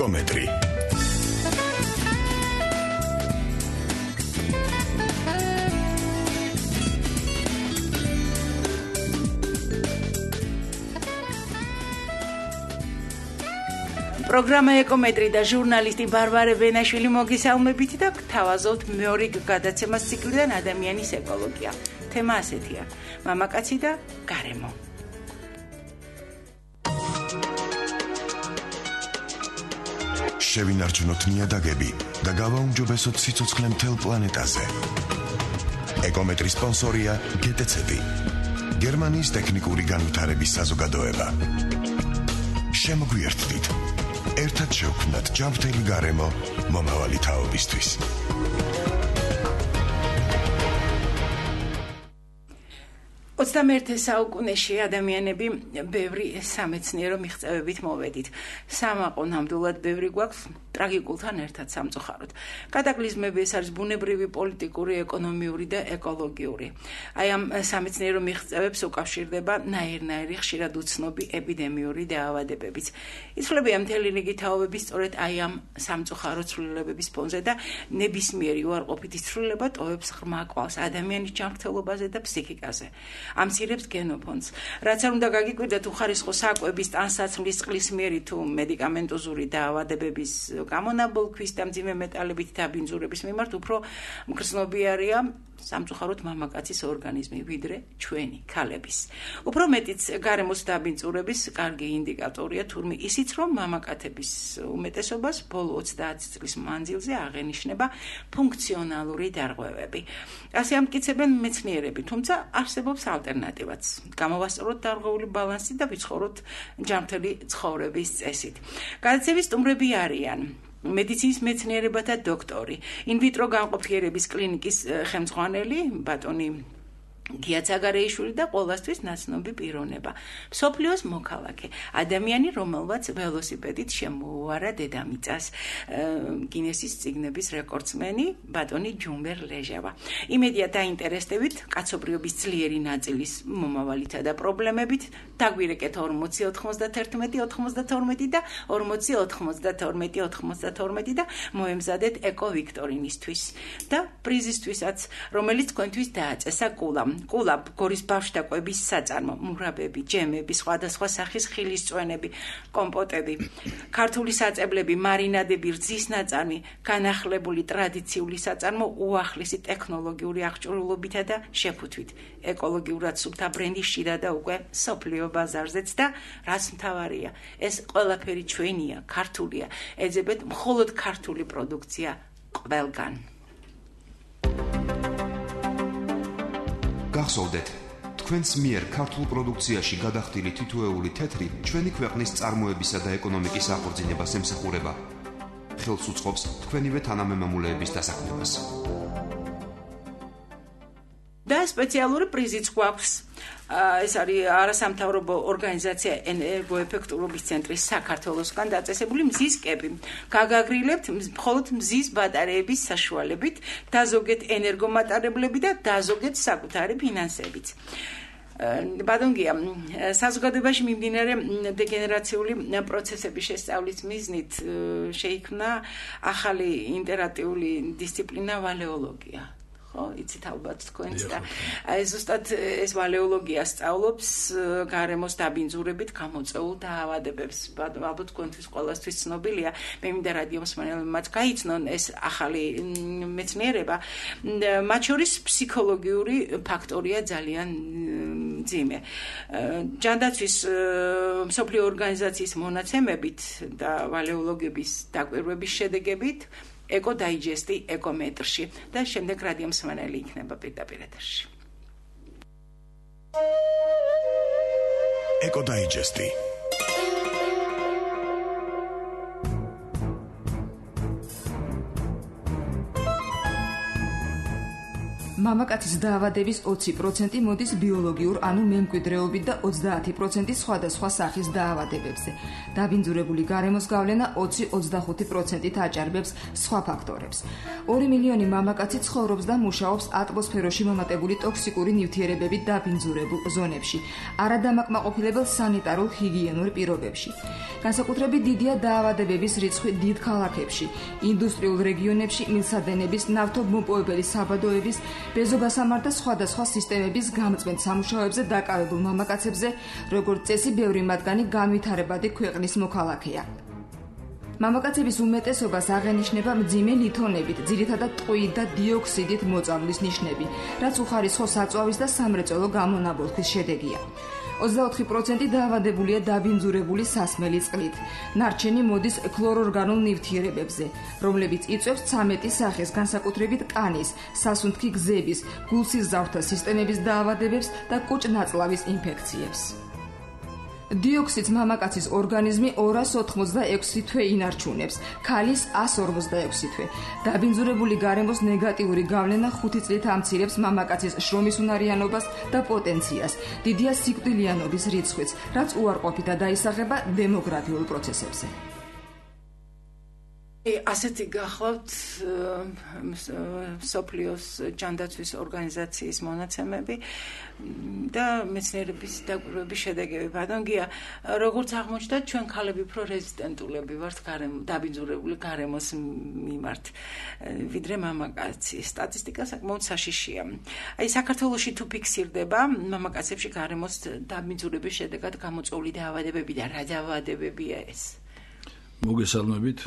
ეკომეტრი. პროგრამა ეკომეტრი და ჟურნალისტი ბარბარე ვენაშვილი მოგისალმებით და გთავაზობთ მეორე გადაცემას ციკლიდან ადამიანის ეკოლოგია. თემა ასეთია: მამაკაცი და გარემო. შევინარჩუნოთ ნიადაგები და გავაუმჯობესოთ სიცოცხლე მთელ პლანეტაზე. ეკომეტრის სპონსორია GTC, გერმანიის ტექნიკური განვითარების საზოგადოება. შემოგვიერთდით. ერთად შევქმნათ ჯანმრთელი გარემო მომავალი თაობისთვის. ოცდამეერთე საუკუნეში ადამიანები ბევრი სამეცნიერო მიღწევებით მოვედით. სამაყო ნამდვილად ბევრი გვაქვს ტრაგიკულთან ერთად სამწუხაროდ. კატაკლიზმები ეს არის ბუნებრივი, პოლიტიკური, ეკონომიური და ეკოლოგიური. აი ამ სამეცნიერო მიღწევებს უკავშირდება ნაირ-ნაირი ხშირად უცნობი ეპიდემიური დაავადებებიც. იცვლებიან მთელი რიგი თაობები სწორედ აი ამ სამწუხარო ცვლილებების ფონზე და ნებისმიერი უარყოფითი ცვლილება ტოვებს ღრმა კვალს ადამიანის ჯანმრთელობაზე და ფსიქიკაზე. ამცირებს გენოფონდს. რაც არ უნდა გაგიკვირდეთ უხარისხო საკვების, ტანსაცმლის, წყლისმიერი თუ მედიკამენტოზური დაავადებების გამონაბოლქვის და მძიმე მეტალებით დაბინძურების მიმართ უფრო მგრძნობიარეა სამწუხაროდ მამაკაცის ორგანიზმი ვიდრე ჩვენი ქალების. უფრო მეტიც გარემოს დაბინძურების კარგი ინდიკატორია თურმე ისიც, რომ მამაკაცების უმეტესობას ბოლო 30 წლის მანძილზე აღენიშნება ფუნქციონალური დარღვევები. ასე ამტკიცებენ მეცნიერები, თუმცა არსებობს ალტერნატივაც. გამოვასწოროთ დარღვეული ბალანსი და ვიცხოვროთ ჯანმრთელი ცხოვრების წესით. გადაცემის სტუმრები არიან მედიცინის მეცნიერებათა დოქტორი, ინვიტრო განყოფიერების კლინიკის ხელმძღვანელი ბატონი გია ცაგარეიშვილი და ყოველთვის ნაცნობი პიროვნება. მსოფლიოს მოქალაქე, ადამიანი, რომელმაც ველოსიპედით შემოუარა დედამიწას, გინესის წიგნების რეკორდსმენი ბატონი ჯუმბერ ლეჟავა. იმედია დაინტერესდებით კაცობრიობის ძლიერი ნაწილის მომავალითა და პრობლემებით. დაგვირეკეთ 40 91 92 და 40 92 92 და მოემზადეთ ეკო ვიქტორინისთვის და პრიზისთვისაც, რომელიც თქვენთვის დააწესა კულაბ, გორის ბავშვთა კვების საწარმო, მურაბები, ჯემები, სხვადასხვა სახის ხილისწვენები, კომპოტები, ქართული საწებლები, მარინადები, რძის ნაწარმი, განახლებული ტრადიციული საწარმო უახლესი ტექნოლოგიური აღჭურვილობითა და შეფუთვით. ეკოლოგიურად სუფთა ბრენდი შიდა და უკვე სოფლიო ბაზარზეც და რაც მთავარია, ეს ყველაფერი ჩვენია, ქართულია, ეძებეთ მხოლოდ ქართული პროდუქცია ყველგან. გახსოვდეთ, თქვენს მიერ ქართულ პროდუქციაში გადახდილი თითოეული თეთრი ჩვენი ქვეყნის წარმოებისა და ეკონომიკის აღორძინებას ემსახურება. ხელს უწყობს თქვენივე თანამემამულეების დასაქმებას. და სპეციალური პრიზიც გვაქვს. ეს არის არასამთავრობო ორგანიზაცია ენერგოეფექტურობის ცენტრის საქართველოსგან დაწესებული მზის კეპი. გაგაგრილებთ მხოლოდ მზის ბატარეების საშუალებით, დაზოგეთ ენერგომატარებლები და დაზოგეთ საკუთარი ფინანსებიც. ბატონგია, საზოგადოებაში მიმდინარე დეგენერაციული პროცესების შესწავლის მიზნით შეიქმნა ახალი ინტერაქტიული დისციპლინა ვალეოლოგია. იცით ალბათ თქვენც და ზუსტად ეს ვალეოლოგია სწავლობს გარემოს დაბინძურებით გამოწვეულ დაავადებებს. ალბათ თქვენთვის ყველასთვის ცნობილია, მე მინდა რადიო მსმენელებმაც გაიცნონ ეს ახალი მეცნიერება. მათ შორის ფსიქოლოგიური ფაქტორია ძალიან მძიმე. ჯანდაცვის მსოფლიო ორგანიზაციის მონაცემებით და ვალეოლოგების დაკვირვების შედეგებით ეკო დაიჯესტი ეკომეტრში და შემდეგ რადიო მსმენელი იქნება პირდაპირ ეთერში. ეკო დაიჯესტი. მამაკაცის დაავადების 20% მოდის ბიოლოგიურ, ანუ მემკვიდრეობით და 30% სხვადასხვა სახის დაავადებებზე. დაბინძურებული გარემოს გავლენა 20-25%-ით აჭარბებს სხვა ფაქტორებს. 2 მილიონი მამაკაცი ცხოვრობს და მუშაობს ატმოსფეროში მომატებული ტოქსიკური ნივთიერებებით დაბინძურებულ ზონებში, არადამაკმაყოფილებელ სანიტარულ ჰიგიენურ პირობებში. განსაკუთრებით დიდია დაავადებების რიცხვი დიდ ქალაქებში, ინდუსტრიულ რეგიონებში, მილსადენების, ნავთობმოპოვებელი საბადოების, ბეზოგასამარ და სხვადასხვა სისტემების გამწვენ სამუშაოებზე დაკავებულ მამაკაცებზე, როგორც წესი, ბევრი მათგანი განვითარებადი ქვეყნის მოქალაქეა. მამაკაცების უმეტესობას აღენიშნება მძიმე ლითონებით, ძირითადად ტყვიით და დიოქსიდით მოწამვლის ნიშნები, რაც უხარისხო საწვავის და სამრეწველო გამონაბოლქვის შედეგია. 24% დაავადებულია დაბინძურებული სასმელი წყლით. ნარჩენი მოდის ქლორორგანულ ნივთიერებებზე, რომლებიც იწვევს 13 სახის, განსაკუთრებით კანის, სასუნთქი გზების, გულსიზავთა სისტემების დაავადებებს და კუჭ-ნაწლავის ინფექციებს. დიოქსიდს მამაკაცის ორგანიზმი 286 თვე ინარჩუნებს, ქალის 146 თვე. დაბინძურებული გარემოს ნეგატიური გავლენა 5 წლით ამცირებს მამაკაცის შრომის უნარიანობას და პოტენციას. დიდია სიკვდილიანობის რიცხვიც, რაც უარყოფითად დაისახება დემოგრაფიულ პროცესებზე. ასეთი გახლავთ სოფლიოს ჯანდაცვის ორგანიზაციის მონაცემები და მეცნიერების დაკვირვების შედეგები. ბატონგია, როგორც აღმოჩნდა, ჩვენ ქალები უფრო რეზისტენტულები ვართ დაბინძურებული გარემოს მიმართ, ვიდრე მამაკაცი. სტატისტიკა საკმაოდ საშიშია. აი, საქართველოში თუ ფიქსირდება მამაკაცებში გარემოს დაბინძურების შედეგად გამოწვეული დაავადებები და რა დაავადებებია ეს? მოგესალმებით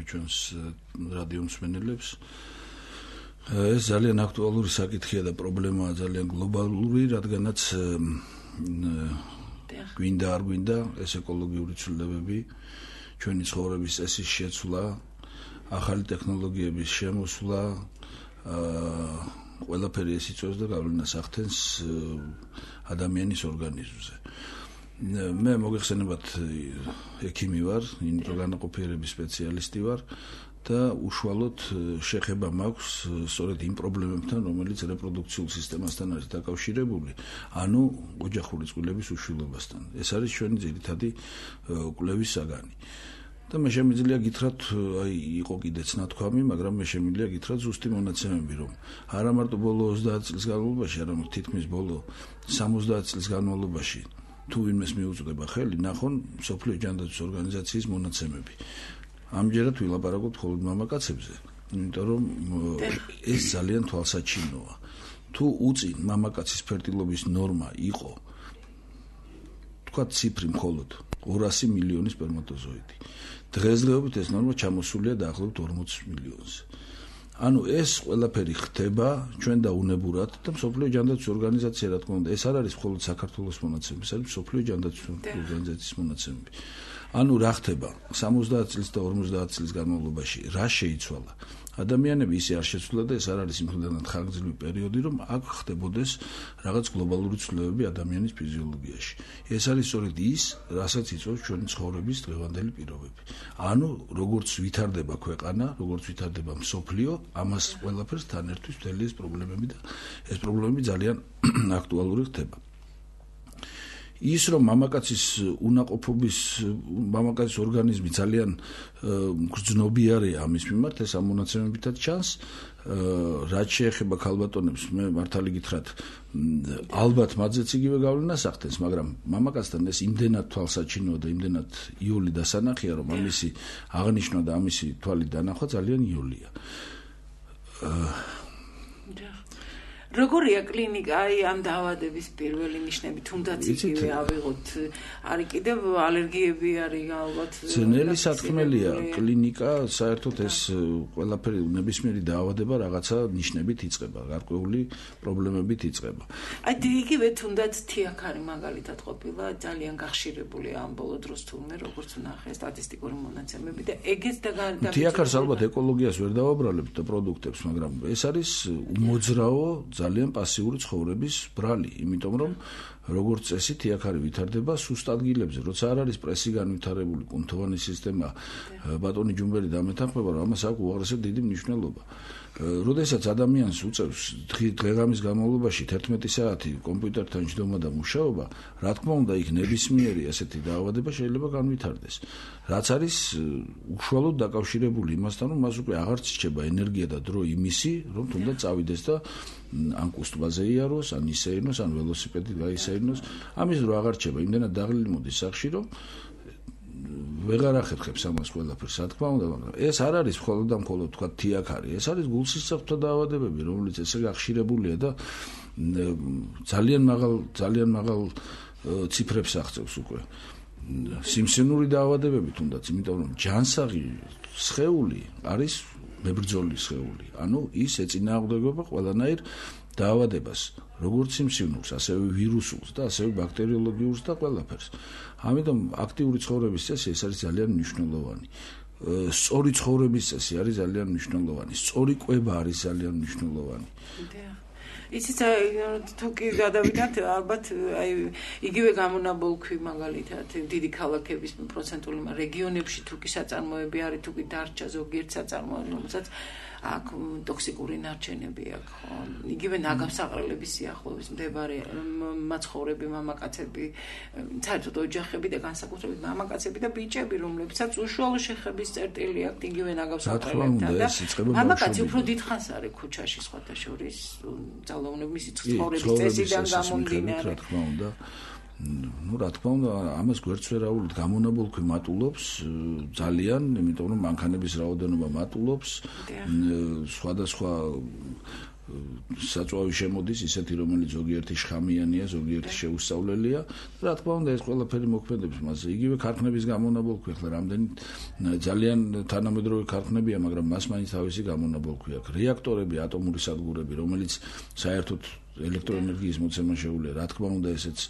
ჩვენს რადიო მსმენელებს. ეს ძალიან აქტუალური საკითხია და პრობლემაა ძალიან გლობალური, რადგანაც გვინდა არ გვინდა ეს ეკოლოგიური ცვლილებები, ჩვენი ცხოვრების წესის შეცვლა, ახალი ტექნოლოგიების შემოსვლა, ყველაფერი ეს იწვევს და გავლენას ახდენს ადამიანის ორგანიზმზე. მე მოგეხსენებათ ექიმი ვარ, ინტეგრალურობის სპეციალისტი ვარ და უშუალოდ შეხება მაქვს სწორედ იმ პრობლემებთან, რომელიც რეპროდუქციულ სისტემასთან არის დაკავშირებული, ანუ ოჯახური წყვილების უშვილობასთან. ეს არის ჩვენი ძირითადი კვლევის საგანი. და მე შემიძლია გითხრათ, აი იყო კიდეც ნათქვამი, მაგრამ მე შემიძლია გითხრათ ზუსტი მონაცემები, რომ არა მარტო ბოლო 30 წლის განმავლობაში, არამედ თითქმის ბოლო 70 წლის განმავლობაში თუ ვინმეს მიუწვდება ხელი, ნახონ სოფლიო ჯანდაცვის ორგანიზაციის მონაცემები. ამჯერად ვილაპარაკობთ მხოლოდ მამაკაცებზე, იმიტომ რომ ეს ძალიან თვალსაჩინოა. თუ უწინ მამაკაცის ფერტილობის ნორმა იყო, თქვა ციფრი მხოლოდ 200 მილიონი სპერმატოზოიდი. დღესდღეობით ეს ნორმა ჩამოსულია დაახლოებით 40 მილიონზე. ანუ ეს ყველაფერი ხდება ჩვენ დაუნებურად და მსოფლიო ჯანდაცვის ორგანიზაცია, რა თქმა უნდა, ეს არ არის მხოლოდ საქართველოს მონაცემები, ეს არის მსოფლიო ჯანდაცვის ორგანიზაციის მონაცემები. ანუ რა ხდება 70 წლის და 50 წლის განმავლობაში, რა შეიცვალა? ადამიანები ისე არ შეცვლა და ეს არ არის იმხდანად ხანგრძლივი პერიოდი, რომ აქ ხდებოდეს რაღაც გლობალური ცვლილებები ადამიანის ფიზიოლოგიაში. ეს არის სწორედ ის, რასაც იწვევს ჩვენი ცხოვრების დღევანდელი პირობები. ანუ როგორც ვითარდება ქვეყანა, როგორც ვითარდება მსოფლიო, ამას ყველაფერს თან ერთვის მთელი ეს პრობლემები და ეს პრობლემები ძალიან აქტუალური ხდება. ის რომ მამაკაცის უნაყოფობის, მამაკაცის ორგანიზმი ძალიან გრძნობიარეა ამის მიმართ, ეს ამ მონაცემებითაც ჩანს. რაც შეეხება ქალბატონებს, მე მართალი გითხრათ, ალბათ მათზეც იგივე გავლენას ახდენს, მაგრამ მამაკაცთან ეს იმდენად თვალსაჩინოა და იმდენად იული დასანახია, რომ ამისი აღნიშვნა და ამისი თვალი დანახვა ძალიან იოლია. როგორია კლინიკა, აი ამ დაავადების პირველი ნიშნები, თუნდაც იგივე ავიღოთ, არის კიდევ ალერგიები არის ალბათ. ძნელი საქმელია კლინიკა, საერთოდ ეს ყველაფერი ნებისმიერი დაავადება რაღაცა ნიშნებით იწყება, გარკვეული პრობლემებით იწყება. აი იგივე თუნდაც თიაქარი მაგალითად ყოფილა ძალიან გახშირებული ამ ბოლო დროს თურმე, როგორც ვნახე სტატისტიკური მონაცემები და ეგეც და თიაქარს ალბათ ეკოლოგიას ვერ დავაბრალებთ და პროდუქტებს, მაგრამ ეს არის უმოძრაო ძალიან პასიური ცხოვრების ბრალი, იმიტომ რომ როგორც წესი თიაქარი ვითარდება სუსტ ადგილებზე, როცა არ არის პრესი განვითარებული, კუნთოვანი სისტემა, ბატონი ჯუმბერი დამეთანხმება, რომ ამას აქვს უაღრესად დიდი მნიშვნელობა. როდესაც ადამიანს უწევს დღე-ღამის განმავლობაში 11 საათი კომპიუტერთან ჯდომა და მუშაობა, რა თქმა უნდა, იქ ნებისმიერი ასეთი დაავადება შეიძლება განვითარდეს. რაც არის უშუალოდ დაკავშირებული იმასთან, რომ მას უკვე აღარ რჩება ენერგია და დრო იმისი, რომ თუნდაც წავიდეს და ან კუსტვაზე იაროს, ან ისეირნოს, ან ველოსიპედით გაისეირნოს. ამის დრო აღარ რჩება, იმდენად დაღლილი მოდის სახში, რომ ვეღარ ახერხებს ამას ყველაფერს, რა თქმა უნდა, მაგრამ ეს არ არის მხოლოდ და მხოლოდ თქვა თიაქარი, ეს არის გულსისხლთა დაავადებები, რომელიც ესე გახშირებულია და ძალიან მაღალ ციფრებს აღწევს უკვე. სიმსივნური დაავადებები თუნდაც, იმიტომ რომ ჯანსაღი სხეული არის მებრძოლი სხეული, ანუ ის ეწინააღმდეგება ყველანაირ დაავადებას, როგორც სიმსივნურს, ასევე ვირუსულს და ასევე ბაქტერიოლოგიურს და ყველაფერს. ამიტომ აქტიური ცხოვრების წესი ეს არის ძალიან მნიშვნელოვანი. სწორი ცხოვრების წესი არის ძალიან მნიშვნელოვანი. სწორი კვება არის ძალიან მნიშვნელოვანი. იცით, თუ კი გადავიდათ, ალბათ აი იგივე გამონაბოლქვი მაგალითად დიდი ქალაქების პროცენტული რეგიონებში თუ კი საწარმოები არის, თუ კი დარჩა ზოგიერთ საწარმოები, რომელსაც აქ ტოქსიკური ნარჩენები აქვს, ხო? იგივე ნაგავსაღრელების სიახლოვეს მდებარე მაცხოვრები მამაკაცები, საერთოდ ოჯახები და განსაკუთრებით მამაკაცები და ბიჭები, რომლებსაც უშუალო შეხების წერტილი აქვთ იგივე ნაგავსაღრელებთან და მამაკაცი უფრო დიდხანს არის ქუჩაში სხვათა შორის, ძალაუნების მისი ცხოვრების წესიდან გამომდინარე. რა თქმა უნდა, რა თქმა უნდა, ამას გვერდს ვერაულებთ, გამონაბოლქვი მატულობს ძალიან, იმიტომ რომ მანქანების რაოდენობა მატულობს, სხვადასხვა საწვავი შემოდის, ისეთი რომელიც ზოგიერთი შხამიანია, ზოგიერთი შეუსწავლელია. რა თქმა უნდა, ეს ყველაფერი მოქმედებს მასზე. იგივე ქარხნების გამონაბოლქვი, ახლა რამდენი ძალიან თანამედროვე ქარხნებია, მაგრამ მას მაინც თავისი გამონაბოლქვი აქვს. რეაქტორები, ატომური სადგურები, რომელიც საერთოდ ელექტროენერგიის მოცემა შეუძლია, რა თქმა უნდა, ესეც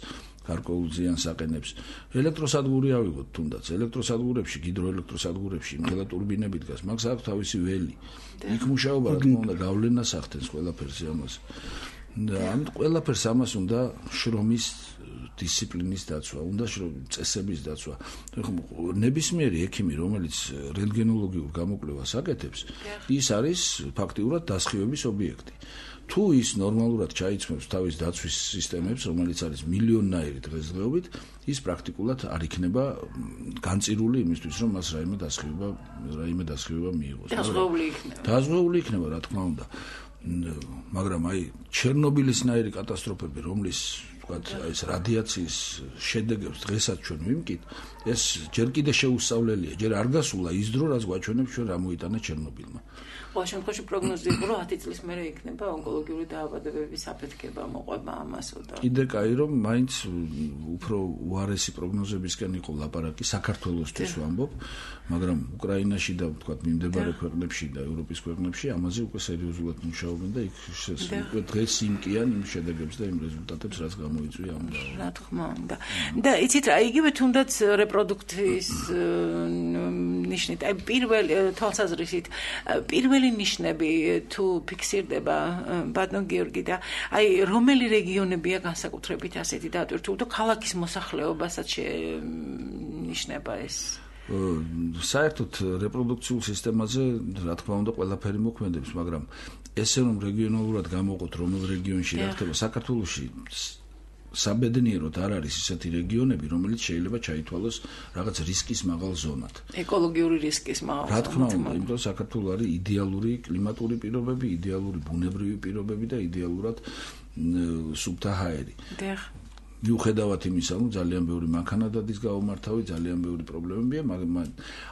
გარკვეულ ზიანს აყენებს. ელექტროსადგური ავიღოთ თუნდაც, ელექტროსადგურებში, ჰიდროელექტროსადგურებში, იმხელა ტურბინები დგას, მაგას აქვს თავისი ველი. იქ მუშაობა, რა თქმა უნდა, გავლენას ახდენს ყველაფერზე ამას. ამით ყველაფერს ამას უნდა შრომის დისციპლინის დაცვა, უნდა წესების დაცვა. ნებისმიერი ექიმი, რომელიც რენტგენოლოგიურ გამოკვლევას აკეთებს, ის არის ფაქტიურად დასხივების ობიექტი. თუ ის ნორმალურად ჩაიცმევს თავის დაცვის სისტემებს, რომელიც არის მილიონნაირი დღესდღეობით, ის პრაქტიკულად არ იქნება განწირული იმისთვის, რომ მას რაიმე დასხივება მიიღოს. დაზღვეული იქნება, რა თქმა უნდა. მაგრამ აი ჩერნობილისნაირი კატასტროფები, რომლის ვთქვათ, ეს რადიაციის შედეგებს დღესაც ჩვენ ვიმკით, ეს ჯერ კიდე შეუსწავლელია, ჯერ არ გასულა ის დრო, რაც გვაჩვენებს ჩვენ რა მოიტანა ჩერნობილმა. ყოველ შემთხვევაში პროგნოზი იყო, რომ 10 წლის მერე იქნება ონკოლოგიური დაავადებების აფეთქება, მოყვება ამასო და კიდე კაი, რომ მაინც უფრო უარესი პროგნოზებისკენ იყო ლაპარაკი საქართველოსთვის ვამბობ, მაგრამ უკრაინაში და ვთქვათ მიმდებარე ქვეყნებში და ევროპის ქვეყნებში ამაზე უკვე სერიოზულად მუშაობენ და იქ უკვე დღეს იმკიან იმ შედეგებს და იმ რეზულტატებს, რაც გამოიწვია ამ დაავადებამ. რა თქმა უნდა. და იცით რა, იგივე თუნდაც რეპროდუქციის ნიშნით, აი პირველი თვალსაზრისით პირველი ნიშნები თუ ფიქსირდება ბატონ გიორგი და აი რომელი რეგიონებია განსაკუთრებით ასეთი დატვირთული და ქალაქის მოსახლეობასაც შენიშნება ეს? საერთოდ რეპროდუქციულ სისტემაზე რა თქმა უნდა ყველაფერი მოქმედებს, მაგრამ ესე რომ რეგიონალურად გამოვყოთ რომელ რეგიონში რა ხდება საქართველოში საბედნიეროდ არ არის ისეთი რეგიონები, რომელიც შეიძლება ჩაითვალოს რაღაც რისკის მაღალ ზონად. ეკოლოგიური რისკის მაღალ ზონად. რა თქმა უნდა, იმიტომ რომ საქართველო არის იდეალური კლიმატური პირობები, იდეალური ბუნებრივი პირობები და იდეალურად სუფთა ჰაერი. მიუხედავად იმისა, რომ ძალიან ბევრი მანქანადადის გაუმართავი, ძალიან ბევრი პრობლემებია, მაგრამ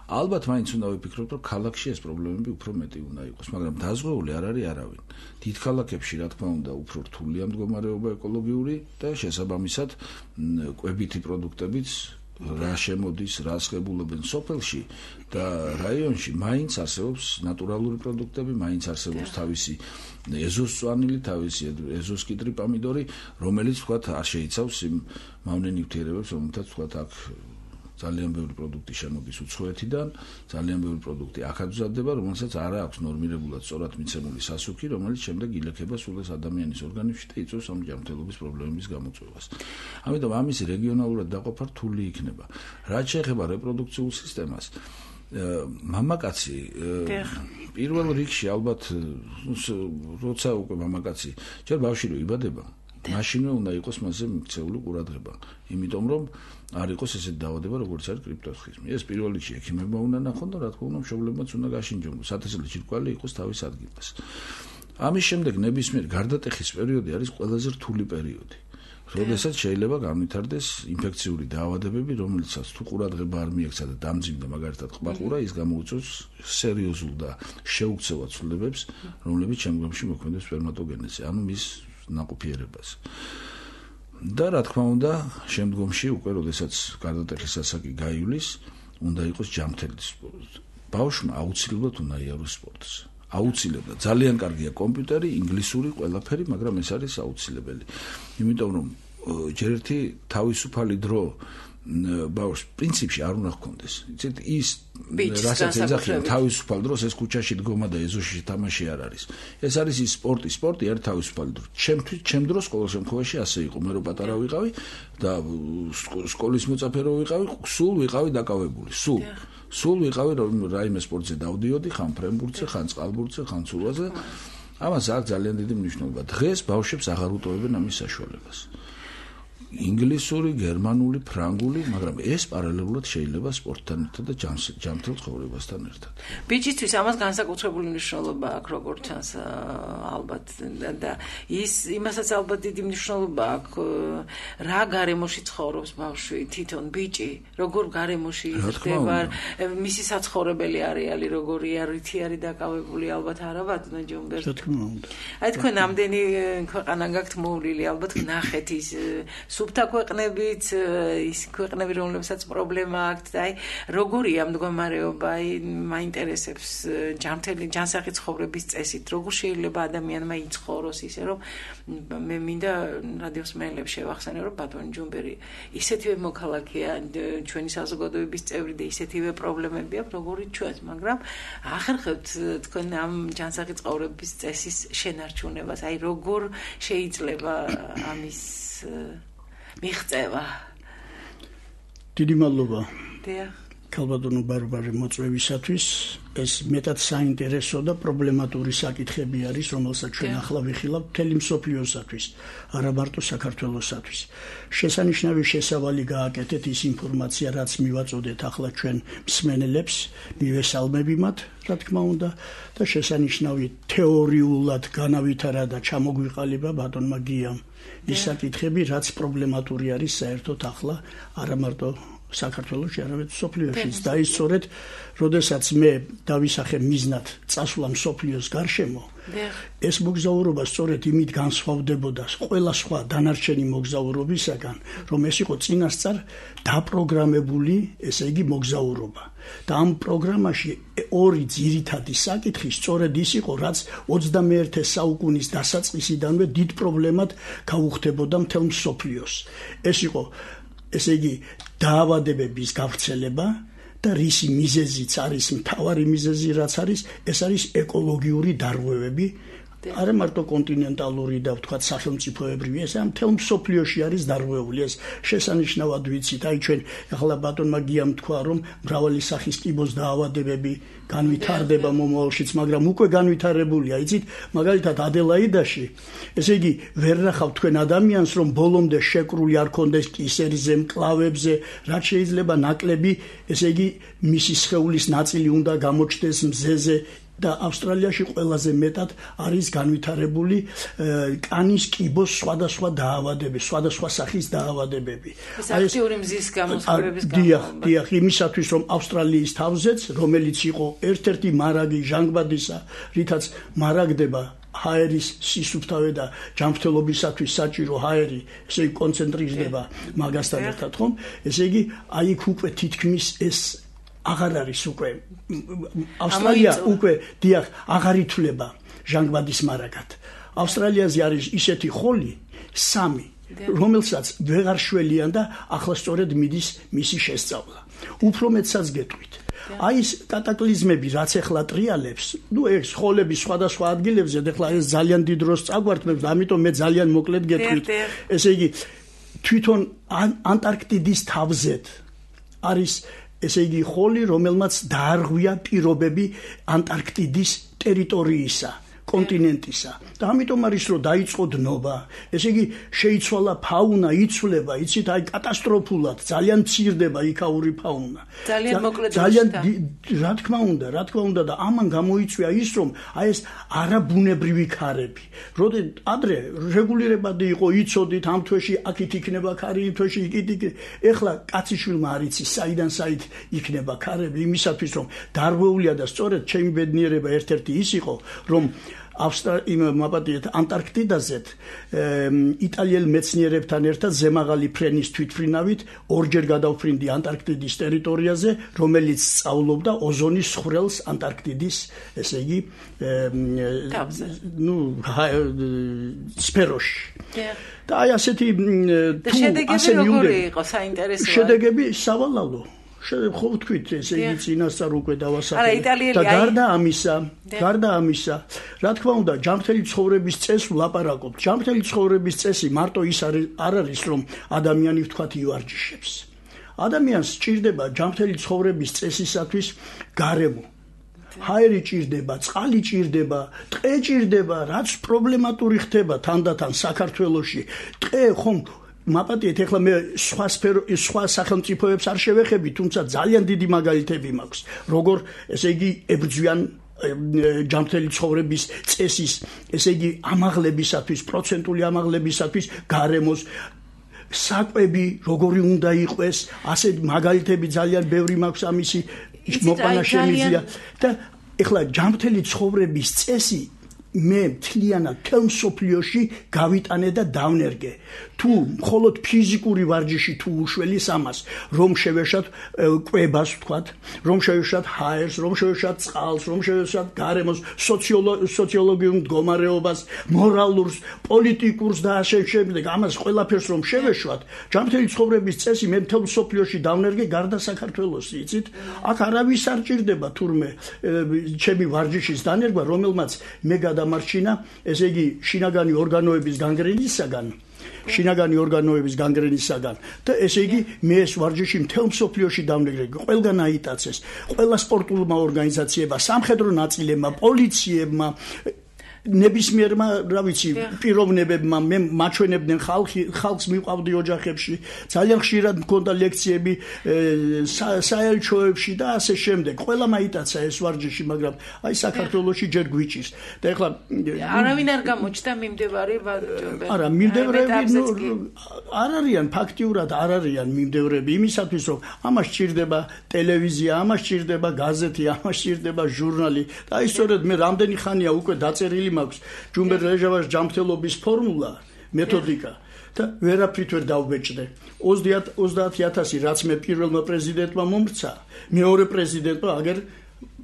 ალბათ მაინც უნდა ვიფიქროთ, რომ ქალაქში ეს პრობლემები უფრო მეტი უნდა იყოს, მაგრამ დაზღვეული არ არის არავინ. დიდ ქალაქებში, რა თქმა უნდა, უფრო რთულია მდგომარეობა ეკოლოგიური და შესაბამისად კვებითი პროდუქტებიც რა შემოდის, რა აღებულებენ სოფელში და რაიონში, მაინც არსებობს ნატურალური პროდუქტები, მაინც არსებობს თავისი ეზოს წვანილი, თავისი ეზოს კიდრი პომიდორი, რომელიც თქვათ არ შეიცავს იმ მავნე ნივთიერებებს, რომელთაც თქვათ აქ ძალიან ბევრი პროდუქტი შემოდის უცხოეთიდან, ძალიან ბევრი პროდუქტი აქაც მზადდება, რომელსაც არ აქვს ნორმირებულად სწორად მიცემული სასუქი, რომელიც შემდეგ ილექება სულ ეს ადამიანის ორგანიზმში და იწვევს ამ ჯანმრთელობის პრობლემების გამოწვევას. ამიტომ ამის რეგიონალურად დაყოფა რთული იქნება. რაც შეეხება რეპროდუქციულ სისტემას, მამაკაცი პირველ რიგში ალბათ როცა უკვე მამაკაცი ჯერ ბავშვი რო იბადება მაშინვე უნდა იყოს მასზე მიქცეული ყურადღება იმიტომ რომ არ იყოს ესეთ დაავადება როგორც არის კრიპტოსქიზმი ეს პირველ რიგში ექიმებმა უნდა ნახონ და რა თქმა უნდა მშობლებმაც უნდა გაშინჯონ სათესლო ჯირკვალი იყოს თავის ადგილას ამის შემდეგ ნებისმიერ გარდატეხის პერიოდი არის ყველაზე რთული პერიოდი როდესაც შეიძლება განვითარდეს ინფექციური დაავადებები რომელიცაც თუ ყურადღება არ მიექცა და დამძიმდა მაგალითად ყბაყურა ის გამოუწევს სერიოზულ და შეუქცევად ცვლილებებს რომლებიც შემდგომში მოქმედებს სპერმატოგენეზზე ანუ მის ნაყოფიერებას და რა თქმა უნდა შემდგომში უკვე როდესაც გარდატეხის ასაკი გაივლის უნდა იყოს ჯანმრთელი სპორტი ბავშვმა აუცილებლად უნდა იაროს სპორტს აუცილებლად ძალიან კარგია კომპიუტერი ინგლისური ყველაფერი მაგრამ ეს არის აუცილებელი იმიტომ რომ ჯერ ერთი თავისუფალი დრო ბავშვს პრინციპში არ უნდა ჰქონდეს იცით ის რასაც ეძახიან თავისუფალ დროს ეს ქუჩაში დგომა და ეზოში თამაში არ არის ეს არის ის სპორტი არის თავისუფალი დრო ჩემ დროს ყოველ შემთხვევაში ასე იყო მე რო პატარა ვიყავი და სკოლის მოწაფე რო ვიყავი სულ ვიყავი დაკავებული სულ ვიყავი რომ რაიმე სპორტზე დავდიოდი ხან ფრენბურთზე ხან წყალბურთზე ხან ცურვაზე ამას აქვს ძალიან დიდი მნიშვნელობა დღეს ბავშვებს აღარ უტოვებენ ამის საშუალებას ინგლისური, გერმანული, ფრანგული, მაგრამ ეს პარალელურად შეიძლება სპორტთან ერთად და ჯანმრთელ ცხოვრებასთან ერთად. ბიჭისთვის ამას განსაკუთრებული მნიშვნელობა აქვს, როგორც ჩანს, ალბათ და იმასაც ალბათ დიდი მნიშვნელობა აქვს, რა გარემოში ცხოვრობს ბავშვი, თვითონ ბიჭი, როგორ გარემოში ხდება, მისი საცხოვრებელი არეალი როგორი არის, არის დაკავებული, ალბათ არა ბატონო ჯუმბერ. რა თქმა უნდა. აი თქვენ ამდენი ქვეყანა გაქვთ მოვლილი, ალბათ ნახეთ ის სუბთა ქვეყნებით ის ქვეყნები რომლებსაც პრობლემა აქვს და აი როგორია მდგომარეობა აი მაინტერესებს ჯანმრთელი ცხოვრების წესით როგორ შეიძლება ადამიანმა იცხოვროს ისე რომ მე მინდა რადიოს მეელებს შევახსენე რომ ბატონი ჯუმბერი ისეთივე მოქალაქეა ჩვენი საზოგადოების წევრი და ისეთივე პრობლემები აქვს როგორიც ჩვენს მაგრამ ახერხებთ თქვენ ამ ჯანმრთელი ცხოვრების წესის შენარჩუნებას აი როგორ შეიძლება ამის მიღწევა. დიდი მადლობა. დიახ. ქალბატონო ბარბარე მოწვევისათვის ეს მეტად საინტერესო და პრობლემატური საკითხები არის, რომელსაც ჩვენ ახლა ვიხილავთ მთელი მსოფლიოსათვის, არა მარტო საქართველოსათვის. შესანიშნავი შესავალი გააკეთეთ ის ინფორმაცია, რაც მივაწოდეთ ახლა ჩვენ მსმენელებს, მივესალმები მათ, რა თქმა უნდა, და შესანიშნავი თეორიულად განავითარა და ჩამოგვიყალიბა ბატონმა გიამ ის საკითხები, რაც პრობლემატური არის საერთოდ ახლა არა მარტო საქართველოში, არამედ მსოფლიოშიც და ის სწორედ, როდესაც მე დავისახე მიზნად წასვლა მსოფლიოს გარშემო, ეს მოგზაურობა სწორედ იმით განსხვავდებოდა ყველა სხვა დანარჩენი მოგზაურობისაგან, რომ ეს იყო წინასწარ დაპროგრამებული, ესე იგი მოგზაურობა. და ამ პროგრამაში ორი ძირითადი საკითხი სწორედ ის იყო, რაც 21 საუკუნის დასაწყისიდანვე დიდ პრობლემად გაუხდებოდა მთელ მსოფლიოს. ეს იყო ესე იგი დაავადებების გავრცელება და რისი მიზეზიც არის მთავარი მიზეზი რაც არის ეს არის ეკოლოგიური დარღვევები არა მარტო კონტინენტალური და ვთქვათ სახელმწიფოებრივი ეს მთელ მსოფლიოში არის დარღვეული ეს შესანიშნავად ვიცით აი ჩვენ ახლა ბატონმა გიამ თქვა რომ მრავალი სახის კიბოს დაავადებები განვითარდება მომავალშიც მაგრამ უკვე განვითარებულია იცით მაგალითად ადელაიდაში ესე იგი ვერ ნახავთ თქვენ ადამიანს რომ ბოლომდე შეკრული არ კონდეს კისერიზე მკლავებზე რაც შეიძლება ნაკლები ესე იგი მისი სხეულის ნაწილი უნდა გამოჩნდეს მზეზე და ავსტრალიაში ყველაზე მეტად არის განვითარებული კანის კიბოს სხვადასხვა დაავადებები, სხვადასხვა სახის დაავადებები. აი ეს აქტიური მზის გამოსხივების დიახ, იმისათვის რომ ავსტრალიის თავზეც, რომელიც იყო ერთ-ერთი მარაგი ჟანგბადისა, რითაც მარაგდება ჰაერის სისუფთავე და ჯანმრთელობისათვის საჭირო ჰაერი, ესე იგი კონცენტრირდება მაგასთან ერთად, ხომ? ესე იგი, აი იქ უკვე თითქმის ეს აღარ არის უკვე ავსტრალია უკვე დიახ აღარ ითვლება ჟანგბადის მარაგად ავსტრალიაზე არის ისეთი ხოლი 3 რომელსაც ვეღარ შველიან და ახლა სწორედ მიდის მისი შესწავლა უფრო მეტსაც გეტყვით აი ეს კატაკლიზმები რაც ახლა ტრიალებს ნუ ეს ხოლები სხვადასხვა ადგილებზე ახლა ეს ძალიან დიდ დროს წაგვართმევს ამიტომ მე ძალიან მოკლედ გეტყვით ესე იგი თვითონ ანტარქტიდის თავზეთ არის ესე იგი ხოლი, რომელმაც დაარღვია პირობები ანტარქტიდის ტერიტორიისა, კონტინენტისა. და ამიტომ არის რომ დაიწყო დნობა. ესე იგი შეიცვალა ფაუნა, იცვლება, იცით, აი კატასტროფულად, ძალიან მცირდება იქაური ფაუნა. ძალიან მოკლედ რა თქმა უნდა და ამან გამოიწვია ის რომ აი ეს არაბუნებრივი ქარები. როდი ადრე რეგულირებადი იყო, იცოდით ამ თვეში აქით იქნება ქარი, იმ თვეში იქით. ეხლა კაციშვილმა არ იცის საიდან საით იქნება ქარები, იმისათვის რომ დარღვეულია და სწორედ ჩემი ბედნიერება ერთ-ერთი ის იყო, რომ ანტარქტიდაზე იტალიელ მეცნიერებთან ერთად ზემაღალი ფრენის თვითმფრინავით ორჯერ გადავფრინდი ანტარქტიდის ტერიტორიაზე, რომელიც სწავლობდა ოზონის ხვრელს ანტარქტიდის, ესე იგი, სფეროში. და აი ასეთი შედეგები როგორი იყო, საინტერესოა. შედეგები სავალალო. ხო ვთქვით, ესე იგი წინასწარ უკვე დავასახელე. და გარდა ამისა, რა თქმა უნდა, ჯანმრთელი ცხოვრების წესს ვლაპარაკობ. ჯანმრთელი ცხოვრების წესი მარტო ის არ არის, რომ ადამიანი ვთქვათ ივარჯიშებს. ადამიანს სჭირდება ჯანმრთელი ცხოვრების წესისათვის გარემო. ჰაერი ჭირდება, წყალი ჭირდება, ტყე ჭირდება, რაც პრობლემატური ხდება თანდათან საქართველოში. ტყე ხომ მაპატიეთ, ეხლა მე სხვა სახელმწიფოებს არ შევეხები, თუმცა ძალიან დიდი მაგალითები მაქვს, როგორ ესე იგი ებრძვიან ჯანმრთელი ცხოვრების წესის, ესე იგი ამაღლებისათვის, პროცენტული ამაღლებისათვის გარემოს საკვები როგორი უნდა იყოს, ასე მაგალითები ძალიან ბევრი მაქვს ამისი მოყვანა შემიძლია და ეხლა ჯანმრთელი ცხოვრების წესი მე მთლიანად თელ მსოფლიოში გავიტანე და დავნერგე. თუ მხოლოდ ფიზიკური ვარჯიში თუ უშველის ამას, რომ შევეშათ კვებას ვთქვათ, რომ შევეშათ ჰაერს, რომ შევეშათ წყალს, რომ შევეშათ გარემოს, სოციოლოგიურ მდგომარეობას, მორალურს, პოლიტიკურს და ასე შემდეგ, ამას ყველაფერს რომ შევეშვათ, ჯანმრთელი ცხოვრების წესი მე მთელ მსოფლიოში დავნერგე გარდა საქართველოს, იცით? აქ არავის არ ჭირდება თურმე ჩემი ვარჯიშის დანერგვა, რომელმაც მე დამარჩინა, ესე იგი შინაგანი ორგანოების განგრენისაგან და ესე იგი მე ეს ვარჯიში მთელ მსოფლიოში დავნერგე, ყველგან აიტაცეს, ყველა სპორტულმა ორგანიზაციებმა, სამხედრო ნაწილებმა, პოლიციებმა, ნებისმიერმა, რა ვიცი, პიროვნებებმა, მე მაჩვენებდნენ ხალხს მივყავდი ოჯახებში, ძალიან ხშირად მქონდა ლექციები საელჩოებში და ასე შემდეგ. ყველა მაიტაცა ეს ვარჯიში, მაგრამ აი საქართველოში ჯერ გვიჭირს. და ეხლა არავინ არ გამოჩნდა მიმდევარი ვარჯიშები. არა, მიმდევრები არ არიან, ფაქტიურად არ არიან მიმდევრები, იმისათვის რომ ამას სჭირდება ტელევიზია, ამას სჭირდება გაზეთი, ამას სჭირდება ჟურნალი. და აი სწორედ მე რამდენი ხანია უკვე დაწერილი მაქვს ჯუმბერ რეჟავას ჯანმრთელობის ფორმულა, მეთოდიკა და ვერაფრით ვერ დავბეჭდე. 30,000 რაც მე პირველმა პრეზიდენტმა მომრცა, მეორე პრეზიდენტმა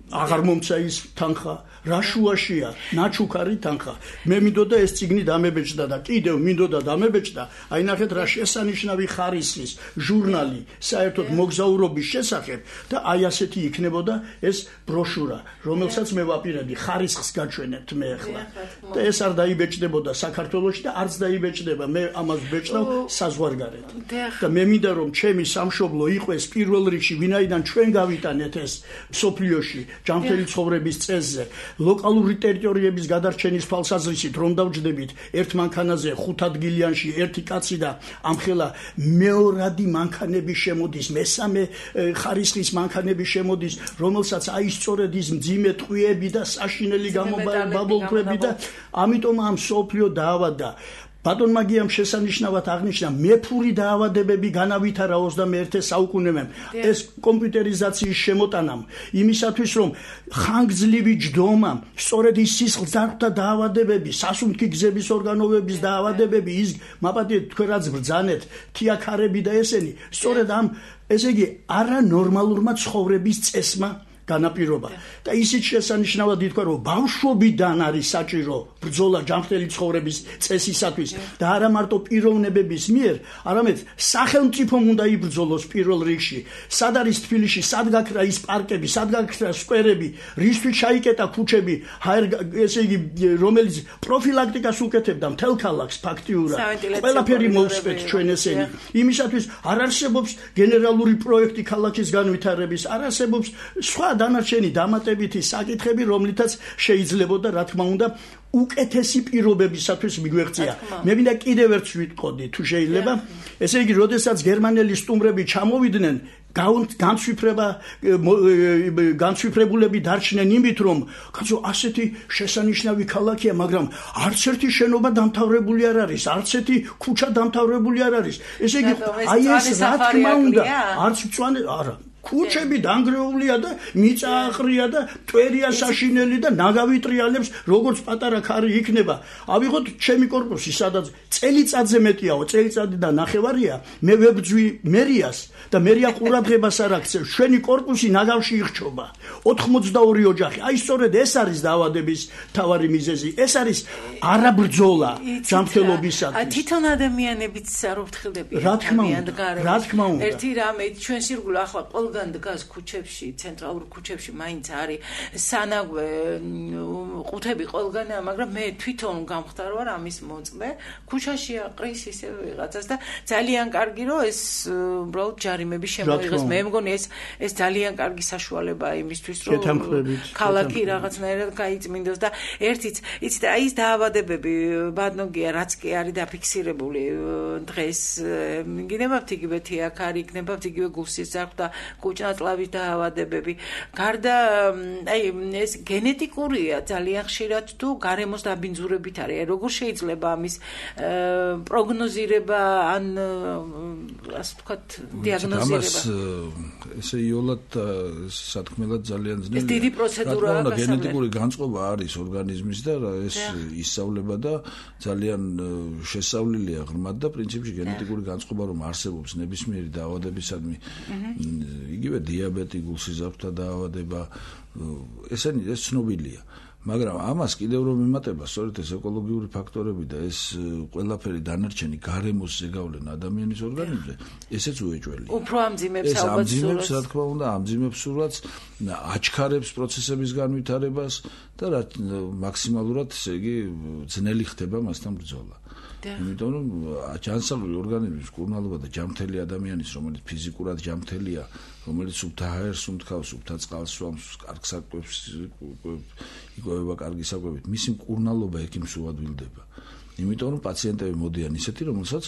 აღარ მომცა ის თანხა. რა შუაშია, ნაჩუქარი თანხა. მე მინდოდა ეს წიგნი დამებეჭდა და კიდევ მინდოდა დამებეჭდა. აი ნახეთ რა შესანიშნავი ხარისხის ჟურნალი საერთოდ მოგზაურობის შესახებ და აი ასეთი იქნებოდა ეს ბროშურა, რომელსაც მე ვაპირებდი, ხარისხს გაჩვენებთ მე ახლა. და ეს არ დაიბეჭდებოდა საქართველოში და არც დაიბეჭდება. მე ამას ვბეჭდავ საზღვარგარეთ. და მე მინდა რომ ჩემი სამშობლო იყოს პირველ რიგში, ვინაიდან ჩვენ გავიტანეთ ეს სოფლიოში ჯანმრთელი ცხოვრების წესზე. ლოკალური ტერიტორიების გადარჩენის თვალსაზრისით რომ დავჯდებით ერთ მანქანაზე 5 ადგილიანში ერთი კაცი და ამხელა მეორადი მანქანები შემოდის, მესამე ხარისხის მანქანები შემოდის, რომელსაც აი სწორედ ის მძიმე ტყვიები და საშინელი გამობაბოლქვები და ამიტომ ამ სოფლიო დაავადდა. ბატონმა გიამ შესანიშნავად აღნიშნა, მეფური დაავადებები განავითარა 21 საუკუნემდე ეს კომპიუტერიზაციის შემოტანამ, იმისათვის რომ ხანგრძლივი ჯდომა, სწორედ ის სისხლძარღვთა დაავადებები, სასუნთქი გზების ორგანოების დაავადებები, ის მაპატიეთ თქვენ რაც ბრძანეთ, თიაქარები და ესენი, სწორედ ამ ესე იგი არანორმალურმა ცხოვრების წესმა განაპირობა და ისიც შესანიშნავად ითქვა რომ ბავშვობიდან არის საჭირო ბრძოლა ჯანმრთელი ცხოვრების წესისათვის და არა მარტო პიროვნებების მიერ, არამედ სახელმწიფომ უნდა იბრძოლოს პირველ რიგში. სად არის თბილისში, სად გაქრა ის პარკები, სად გაქრა სკვერები, რისთვის ჩაიკეტა ქუჩები, ესე იგი რომელიც პროფილაქტიკას უკეთებდა მთელ ქალაქს ფაქტიურად. ყველაფერი მოვსწრეთ ჩვენ ესენი. იმისათვის არ არსებობს გენერალური პროექტი ქალაქის განვითარების, არ არსებობს სხვა დანარჩენი დამატებითი საკითხები, რომლითაც შეიძლებოდა რა თქმა უნდა უკეთესი პირობებისათვის მიგვეღწია. მე მინდა კიდევ ერთს ვიტყოდი, თუ შეიძლება. ესე იგი, როდესაც გერმანელი სტუმრები ჩამოვიდნენ, განცვიფრებულები დარჩნენ იმით, რომ კაცო ასეთი შესანიშნავი ქალაქია, მაგრამ არც ერთი შენობა დამთავრებული არ არის, არც ერთი ქუჩა დამთავრებული არ არის. ესე იგი, აი ეს რა თქმა უნდა, არც მწვანე არა ქუჩები დანგრეულია და მიწა აყრია და ტვერია საშინელი და ნაგავი ტრიალებს როგორც პატარა ქარი იქნება. ავიღოთ ჩემი კორპუსი, სადაც წელიწადზე მეტიაო, წელიწადი და ნახევარია, მე ვებძვი მერიას და მერია ყურადღებას არ აქცევს. ჩვენი კორპუსი ნაგავში იხჩობა. 82 ოჯახი. აი სწორედ ეს არის დაავადების თავარი მიზეზი. ეს არის არაბრძოლა ჯანმრთელობისათვის. თვითონ ადამიანებიც არ უფრთხილდებიან. რა თქმა უნდა. ერთი რამე ჩვენ სირგულ ახლა ყველგან დგას ქუჩებში, ცენტრალურ ქუჩებში მაინც არის სანაგვე ყუთები ყველგანაა, მაგრამ მე თვითონ გამხდარ ვარ ამის მოწმე. ქუჩაში აყრის ისე ვიღაცას და ძალიან კარგი რომ ეს უბრალოდ ჯარიმები შემოიღეს. მე მგონი ეს ძალიან კარგი საშუალებაა იმისთვის რომ ქალაქი რაღაცნაირად გაიწმინდოს და ერთიც იცით აი ეს დაავადებები ბადნოგია რაც კი არის დაფიქსირებული დღეს გინებავთ იგივე თიაქარი, იქნებავთ იგივე გულსიზრდე და კუჭნაწლავის დაავადებები. გარდა აი ეს გენეტიკურია ძალიან ხშირად თუ გარემოს დაბინძურებით არის. როგორ შეიძლება ამის პროგნოზირება ან ასე ვთქვათ დიაგნოზირება? ესე იოლად სათქმელად ძალიან ძნელია. ეს დიდი პროცედურაა. გენეტიკური განწყობა არის ორგანიზმის და ეს ისწავლება და ძალიან შესწავლილია ღრმად და პრინციპში გენეტიკური განწყობა რომ არსებობს ნებისმიერი დაავადებისადმი იგივე დიაბეტი, გულსიზრდეთა დაავადება, ეს ცნობილია. მაგრამ ამას კიდევ რომ იმატება სწორედ ეს ეკოლოგიური ფაქტორები და ეს ყველაფერი დანარჩენი გარემოს ზეგავლენა ადამიანის ორგანიზმზე, ესეც უეჭველია. უფრო ამძიმებს ალბათ სურათს. ეს ამძიმებს, რა თქმა უნდა, ამძიმებს სურათს, აჩქარებს პროცესების განვითარებას და მაქსიმალურად, ესე იგი, ძნელი ხდება მასთან ბრძოლა. იმიტომ რომ ჯანსაღი ორგანიზმის კურნალობა და ჯანმრთელი ადამიანის, რომელიც ფიზიკურად ჯანმრთელია, რომელიც სუფთა ჰაერს უმთქავს, სუფთა წყალს სვამს, კარგ საკვებს იკვებება კარგი საკვებით, მისი მკურნალობა ექიმს უადვილდება. იმიტომ რომ პაციენტები მოდიან ისეთი, რომელსაც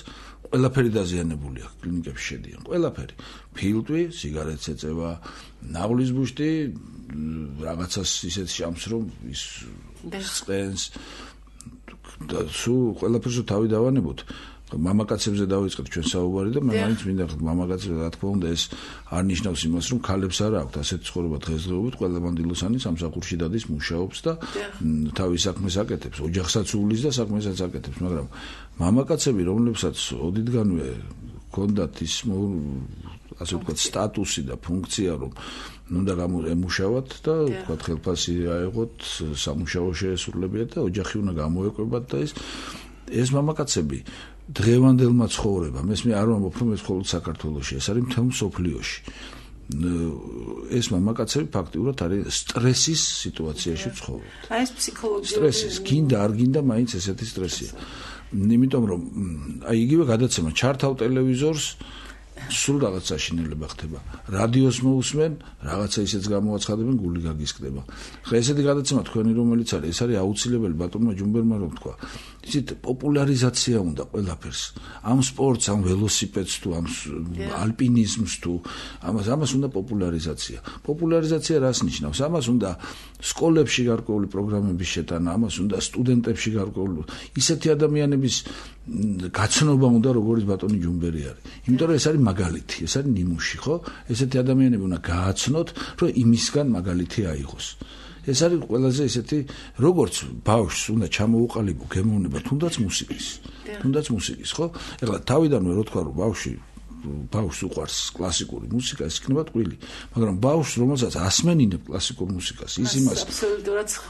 ყველაფერი დაზიანებული აქვს, კლინიკებში შედიან. ყველაფერი. ფილტვი, სიგარეტს ეწევა, ნაღლის ბუშტი, რაღაცას ისეთ შამს რომ ის წყენს და სულ ყველაფერს თავი დავანებოთ. მამაკაცებზე დავიწყეთ ჩვენ საუბარი და მე მაინც მინდა მამაკაცებზე რა თქმა უნდა ეს არ ნიშნავს იმას რომ ქალებს არ აქვთ ასეთ ცხოვრება დღესდღეობით. ყველა მანდილოსანი სამსახურში დადის, მუშაობს და თავის საქმეს აკეთებს, ოჯახსაც უვლის და საქმესაც აკეთებს, მაგრამ მამაკაცები რომლებსაც ოდითგანვე ჰქონდათ ის ასე ვთქვათ სტატუსი და ფუნქცია რომ უნდა ემუშავათ და ვთქვათ ხელფასი აეღოთ, სამუშაო შეესრულებიათ და ოჯახი უნდა გამოეკვებათ და ეს მამაკაცები დღევანდელმა ცხოვრებამ, ეს მე არ ვამბობ რომ ეს მხოლოდ საქართველოში, ეს არის მთელ მსოფლიოში. ეს მამაკაცები ფაქტიურად არის სტრესის სიტუაციაში ცხოვრობთ. აი ეს ფსიქოლოგიური სტრესის, გინდა არ გინდა, მაინც ესეთი სტრესია. იმიტომ რომ აი იგივე გადაცემა ჩართავ ტელევიზორს სულ რაღაც საშინელება ხდება. რადიოს მოусმენ, რაღაცა ისეც გამოაცხადებენ, გული გაგისკდება. ხა ესეთი გადაცემა თქვენი რომელიც არის, ეს არის აუცილებელი ბატონმა ჯუმბერმა რომ თქვა. იცით, პოპულარიზაცია უნდა ყველაფერს. ამ სპორტს, ამ ველოსიპედს თუ ამ ალპინიზმს თუ ამას უნდა პოპულარიზაცია. პოპულარიზაცია რას ნიშნავს? ამას უნდა სკოლებში გარკვეული პროგრამების შეტანა, ამას უნდა სტუდენტებში გარკვეული ისეთი ადამიანების გაცნობა უნდა როგორც ბატონი ჯუმბერი არის. იმიტომ რომ ეს არის მაგალითი, ეს არის ნიმუში, ხო? ესეთი ადამიანები უნდა გააცნოთ, რომ იმისგან მაგალითი აიღოს. ეს არის ყველაზე ესეთი, როგორც ბავშვს უნდა ჩამოუყალიბო გემოვნება, თუნდაც მუსიკის, ხო? ეხლა თავიდანვე რო თქვა რომ ბავშვი ბავშვს უყვარს კლასიკური მუსიკა, ეს იქნება ტყვილი. მაგრამ ბავშვს, რომელსაც ასმენინებ კლასიკურ მუსიკას, ის იმას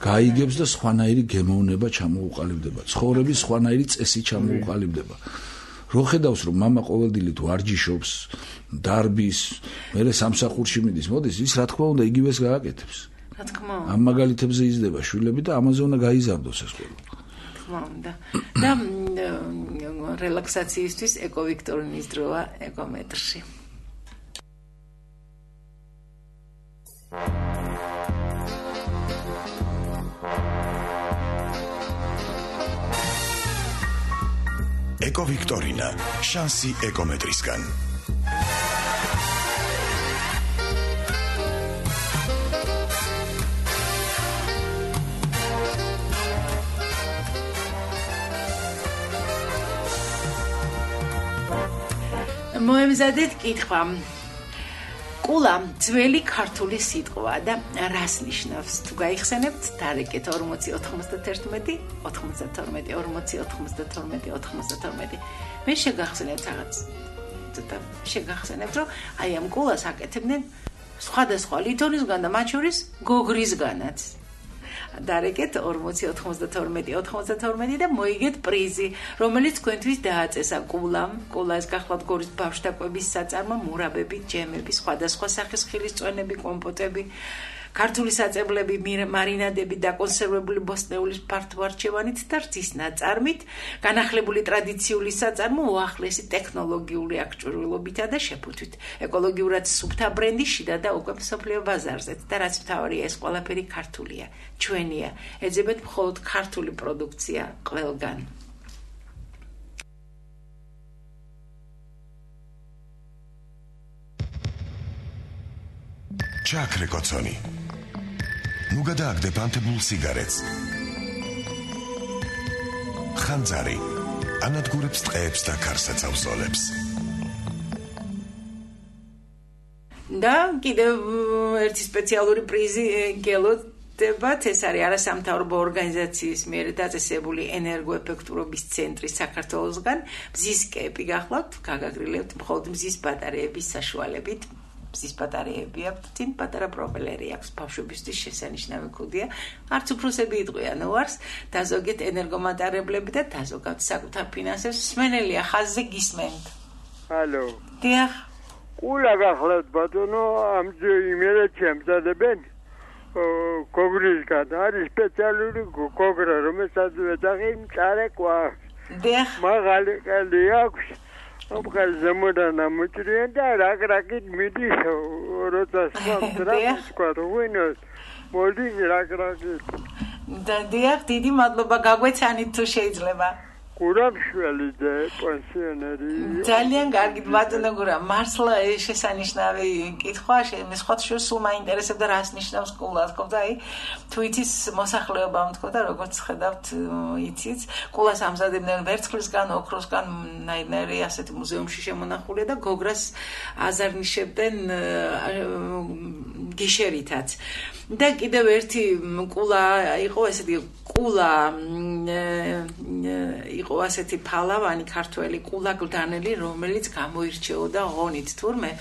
გაიგებს და სხვანაირი გემოვნება ჩამოუყალიბდება, ცხოვრების სხვანაირი წესი ჩამოუყალიბდება. რო ხედავს, რომ მამა ყოველდღიურად ვარჯიშობს, დარბის, მერე სამსახურში მიდის, მოდის, ის რა თქმა უნდა იგივეს გააკეთებს. რა თქმა უნდა. ამ მაგალითებზე იზრდება შვილები და ამაზე უნდა გაიზარდოს ეს ყველა. და რელაქსაციისთვის ეკოვიქტორინის დროა ეკომეტრში. ეკოვიქტორინა, შანსი ეკომეტრისგან. მოემზადეთ კითხვა. კულა ძველი ქართული სიტყვაა და რას ნიშნავს? თუ გაიხსენებთ, დარეკეთ 40 91 92 40 92 92. მე შეგახსენებთ რაღაც. ცოტა შეგახსენებთ, რომ აი ამ კულას აკეთებდნენ სხვადასხვა ლითონისგან და მათ შორის გოგრისგანაც. დარეკეთ 40 92 92 და მოიგეთ პრიზი, რომელიც თქვენთვის დააწესა კულამ. კულა ეს გახლავთ გორის ბავშვთა კვების საწარმო, მურაბები, ჯემები, სხვადასხვა სახის ხილის წვენები, კომპოტები, ქართული საწებლები, მარინადები, დაკონსერვებული ბოსტნეულის ფართოარჩევანით და რძის ნაწარმით, განახლებული ტრადიციული საწარმო უახლესი ტექნოლოგიური აღჭურვილობითა და შეფუთვით. ეკოლოგიურად სუფთა ბრენდი შიდა და უკვე მსოფლიო ბაზარზეც და რაც მთავარია, ეს ყველაფერი ქართულია, ჩვენია. ეძებეთ მხოლოდ ქართული პროდუქცია ყველგან. ჩაქრე კოცონი. ნუ გადააგდებ ანთებულ სიგარეტს. ხანძარი ანადგურებს ტყეებს და ქარსაცავსოლებს. და კიდევ ერთი სპეციალური პრიზი გელოდებათ, ეს არის არასამთავრობო ორგანიზაციის მიერ დაწესებული ენერგოეფექტურობის ცენტრი საქართველოსგან. მზის კეპი გახლავთ, გაგაგრილებთ მხოლოდ მზის ბატარეების საშუალებით. მზის ბატარეები აქვთ, წინ პატარა პროპელერი აქვს, ბავშვებისთვის შესანიშნავი ქუდია. არც უფროსები იტყვიან უარს, დაზოგეთ ენერგომატარებლები და დაზოგავთ საკუთარ ფინანსებს. მსმენელია ხაზზე გისმენთ. ჰალო. დიახ. კულა გახლავთ ბატონო, ამჯერ იმერეთში ამზადებენ გოგრისგან. არის სპეციალური გოგრა, რომელსაც ეძახი მწარე კვარს. დიახ. მაღალი ყელი აქვს. ოპყალ ზემოდან ამოჭრიან და რაკრაკით მიდის, როცა სხვა რუინოს მოდის რაკრაკით. და დიახ, დიდი მადლობა, გაგვეცანით თუ შეიძლება. გურამშველი და პენსიონერი. ძალიან კარგი ბატონო გურამ, მართლა შესანიშნავი კითხვა, მე სხვა შორს სულ მაინტერესებდა რას ნიშნავს კულა, თქო და აი თუ იცის მოსახლეობა მთქო და როგორც ხედავთ იცით, კულას ამზადებდნენ ვერცხლისგან, ოქროსგან, ნაირნარი ასეთი მუზეუმში შემონახულია და გოგრას აზარნიშებდნენ გიშერითაც. და კიდევ ერთი კულა იყო ესეთი კულა იყო ასეთი ფალავანი ქართველი კულა გლდანელი, რომელიც გამოირჩეოდა ღონით თურმე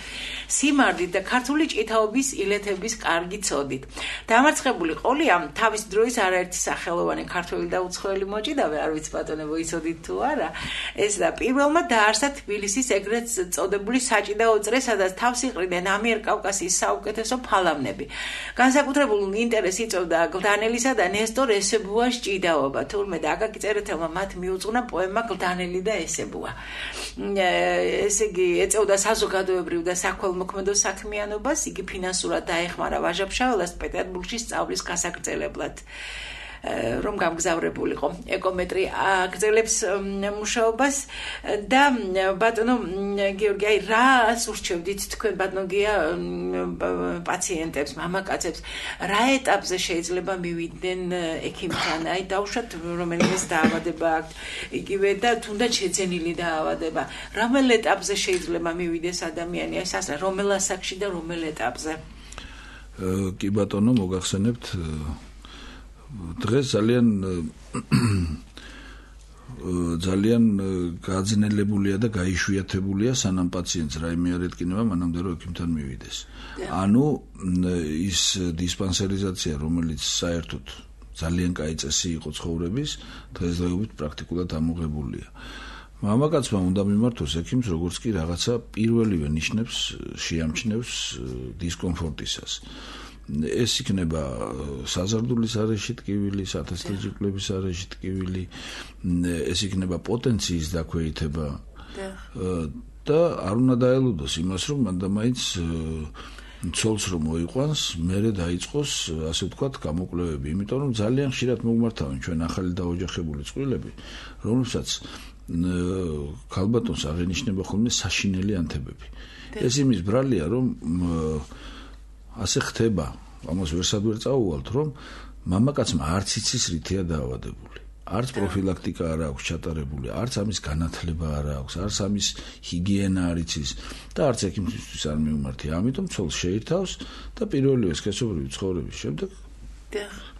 სიმარდით და ქართული ჭითაობის ილეთების კარგი ცოდით. დამარცხებული ყოლია თავის დროის არაერთი სახელოვანი ქართველი და უცხოელი მოჭიდავე, არ ვიცი ბატონებო იცოდით თუ არა, ეს და პირველმა დაარსა თბილისის ეგრეთ წოდებული საჭიდაო წრე, სადაც თავს იყრიდნენ ამიერკავკასიის საუკეთესო ფალავნები. განსაკუთრებულ ინტერესს იწვევდა გლდანელისა და ნესტორ ესებუას ჭიდაობა, თურმე და აკაკი წერეთელმა მათ მიუძღვნა პოემა გლდანელი და ესებუა. ესე იგი ეწეოდა საზოგადოებრივ და საქველმოქმედო საქმიანობას, იგი ფინანსურად დაეხმარა ვაჟა-ფშაველას პეტერბურგში სწავლის გასაგრძელებლად. რომ გამგზავრებულიყო ეკომეტრი აგრძელებს მუშაობას და ბატონო გიორგი, აი რას ურჩევდით თქვენ ბატონო გია პაციენტებს, მამაკაცებს, რა ეტაპზე შეიძლება მივიდნენ ექიმთან? აი დავუშვათ რომელიმე დაავადება აქვთ, იგივე და თუნდაც შეძენილი დაავადება, რომელ ეტაპზე შეიძლება მივიდეს ადამიანი, აი სასა რომელ ასაკში და რომელ ეტაპზე? კი ბატონო, მოგახსენებთ დღეს ძალიან ძალიან გაძნელებულია და გაიშვიათებულია სანამ პაციენტს რაიმე არ ეთკინება მანამდე რომ ექიმთან მივიდეს. ანუ ის დისპანსერიზაცია რომელიც საერთოდ ძალიან კაი წესი იყო ცხოვრების დღესდღეობით პრაქტიკულად ამოღებულია. მამაკაცმა უნდა მიმართოს ექიმს როგორც კი რაღაცა პირველივე ნიშნებს შეამჩნევს დისკომფორტისას. ეს იქნება საზარდულის არეში ტკივილი, სათესლიჯიკლების არეში ტკივილი, ეს იქნება პოტენციის დაქვეითება და არ უნდა დაელუდოს იმას, რომ მანდამაინც ცოლს რომ მოიყვანს, მერე დაიწყოს, ასე ვთქვათ, გამოკვლევები, იმიტომ რომ ძალიან ხშირად მოგმართავენ ჩვენ ახალი დაოჯახებული წყვილები, რომლებსაც ქალბატონს აღენიშნება ხოლმე საშინელი ანთებები. ეს იმის ბრალია, რომ ასე ხდება, ამას ვერსად ვერ წაუვალთ, რომ მამაკაცმა არც იცის რითია დაავადებული. არც პროფილაქტიკა არ აქვს ჩატარებული, არც ამის განათლება არ აქვს, არც ამის ჰიგიენა არ იცის და არც ექიმისთვის არ მიუმართია. ამიტომ ცოლს შეირთავს და პირველივე სქესობრივი ცხოვრების შემდეგ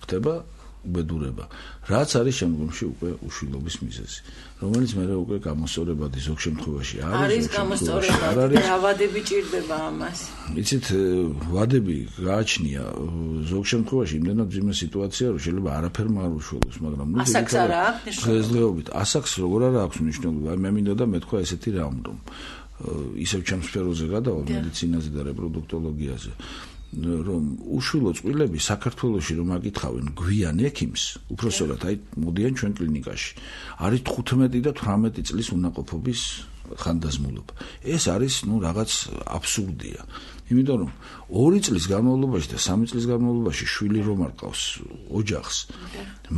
ხდება უბედურება. რაც არის შემდგომში უკვე უშვილობის მიზეზი, რომელიც მე უკვე გამოსწორებადი ზოგ შემთხვევაში არის გამოსწორებადი და ვადები ჭირდება ამას. იცით, ვადები გააჩნია ზოგ შემთხვევაში იმდენად ძიმე სიტუაცია, რომ შეიძლება არაფერმა არ უშველოს, მაგრამ ნუ ასაკს არ აქვს დღესდღეობით ასაკს როგორ არ აქვს მნიშვნელობა. მე მინდოდა მეთქვა ესეთი რამ, რომ ისევ ჩემს სფეროზე გადავალ მედიცინაზე და რეპროდუქტოლოგიაზე. რომ უშვილო წყვილები საქართველოში რომ აკითხავენ გვიან ექიმს, უпроსორად აი მოდიან ჩვენ კლინიკაში. არის 15 და 18 წლის უნაყოფობის ხანდაზმულობა. ეს არის რაღაც აბსურდია. იმიტომ რომ 2 წლის განმავლობაში და 3 წლის განმავლობაში შვილი რომ არ ყავს ოჯახს,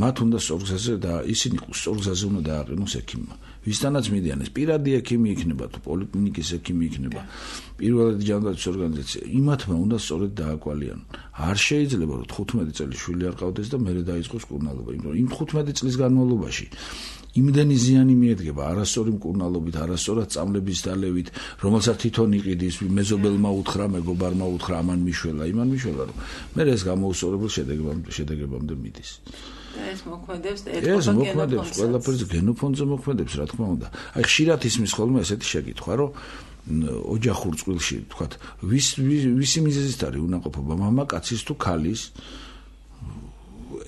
მათ უნდა სწორგზაზე და ისინი სწორგზაზე უნდა დააყენოს ექიმმა. ვისთანაც მიდიან ეს პირადი ექიმი იქნება თუ პოლიკლინიკის ექიმი იქნება, პირველადი ჯანდაცვის ორგანიზაცია, იმათმა უნდა სწორედ დააკვალიანონ. არ შეიძლება რომ 15 წელი შვილი არ ყავდეს და მერე დაიწყოს მკურნალობა, იმიტომ რომ იმ 15 წლის განმავლობაში იმდენი ზიანი მიედგება არასწორი მკურნალობით, არასწორად წამლების დალევით, რომელსაც თვითონ იყიდის, მეზობელმა უთხრა, მეგობარმა უთხრა, ამან მიშველა, იმან მიშველა, რომ მე ეს გამოუსწორებელ შედეგებამდე მიდის. ეს მოქმედებს ყველაფერზე გენოფონზე მოქმედებს, რა თქმა უნდა. აი ხშირად ისმის ხოლმე ესეთი შეკითხვა, რომ ოჯახურ წყვილში, თქვათ, ვისი მიზეზით არის უნაყოფობა, მამაკაცის თუ ქალის?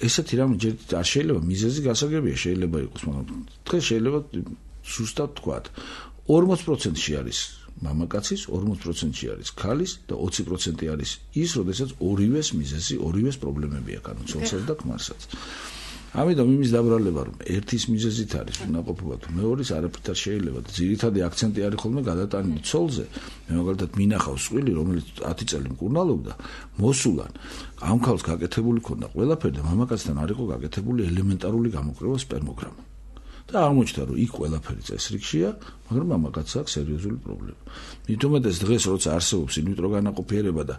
ესეთი რამ არ შეიძლება მიზეზი გასაგებია, შეიძლება იყოს, მაგრამ დღეს შეიძლება ზუსტად თქვათ, 40%-ში არის მამაკაცის, 40%-ში არის ქალის და 20% არის ის, როდესაც ორივეს მიზეზი, ორივეს პრობლემები აქვს, ანუ ცოლსაც და ქმარსაც. ამიტომ იმის დაბრალება, რომ ერთის მიზეზით არის უნაყოფობა თუ მეორის არაფრით არ შეიძლება და ძირითადი აქცენტი არის ხოლმე გადატანილი ცოლზე. მე მაგალითად მინახავს წყვილი, რომელიც 10 წელი მკურნალობდა, მოსულან ამ ქალს გაკეთებული ქონდა ყველაფერი და მამაკაცთან არ იყო გაკეთებული ელემენტარული გამოკვლევა სპერმოგრამა. და აღმოჩნდა, რომ იქ ყველაფერი წესრიგშია, მაგრამ მამაკაცს აქვს სერიოზული პრობლემა. მithumetes დღეს როცა არსებობს ინვიტრო განაყოფიერება და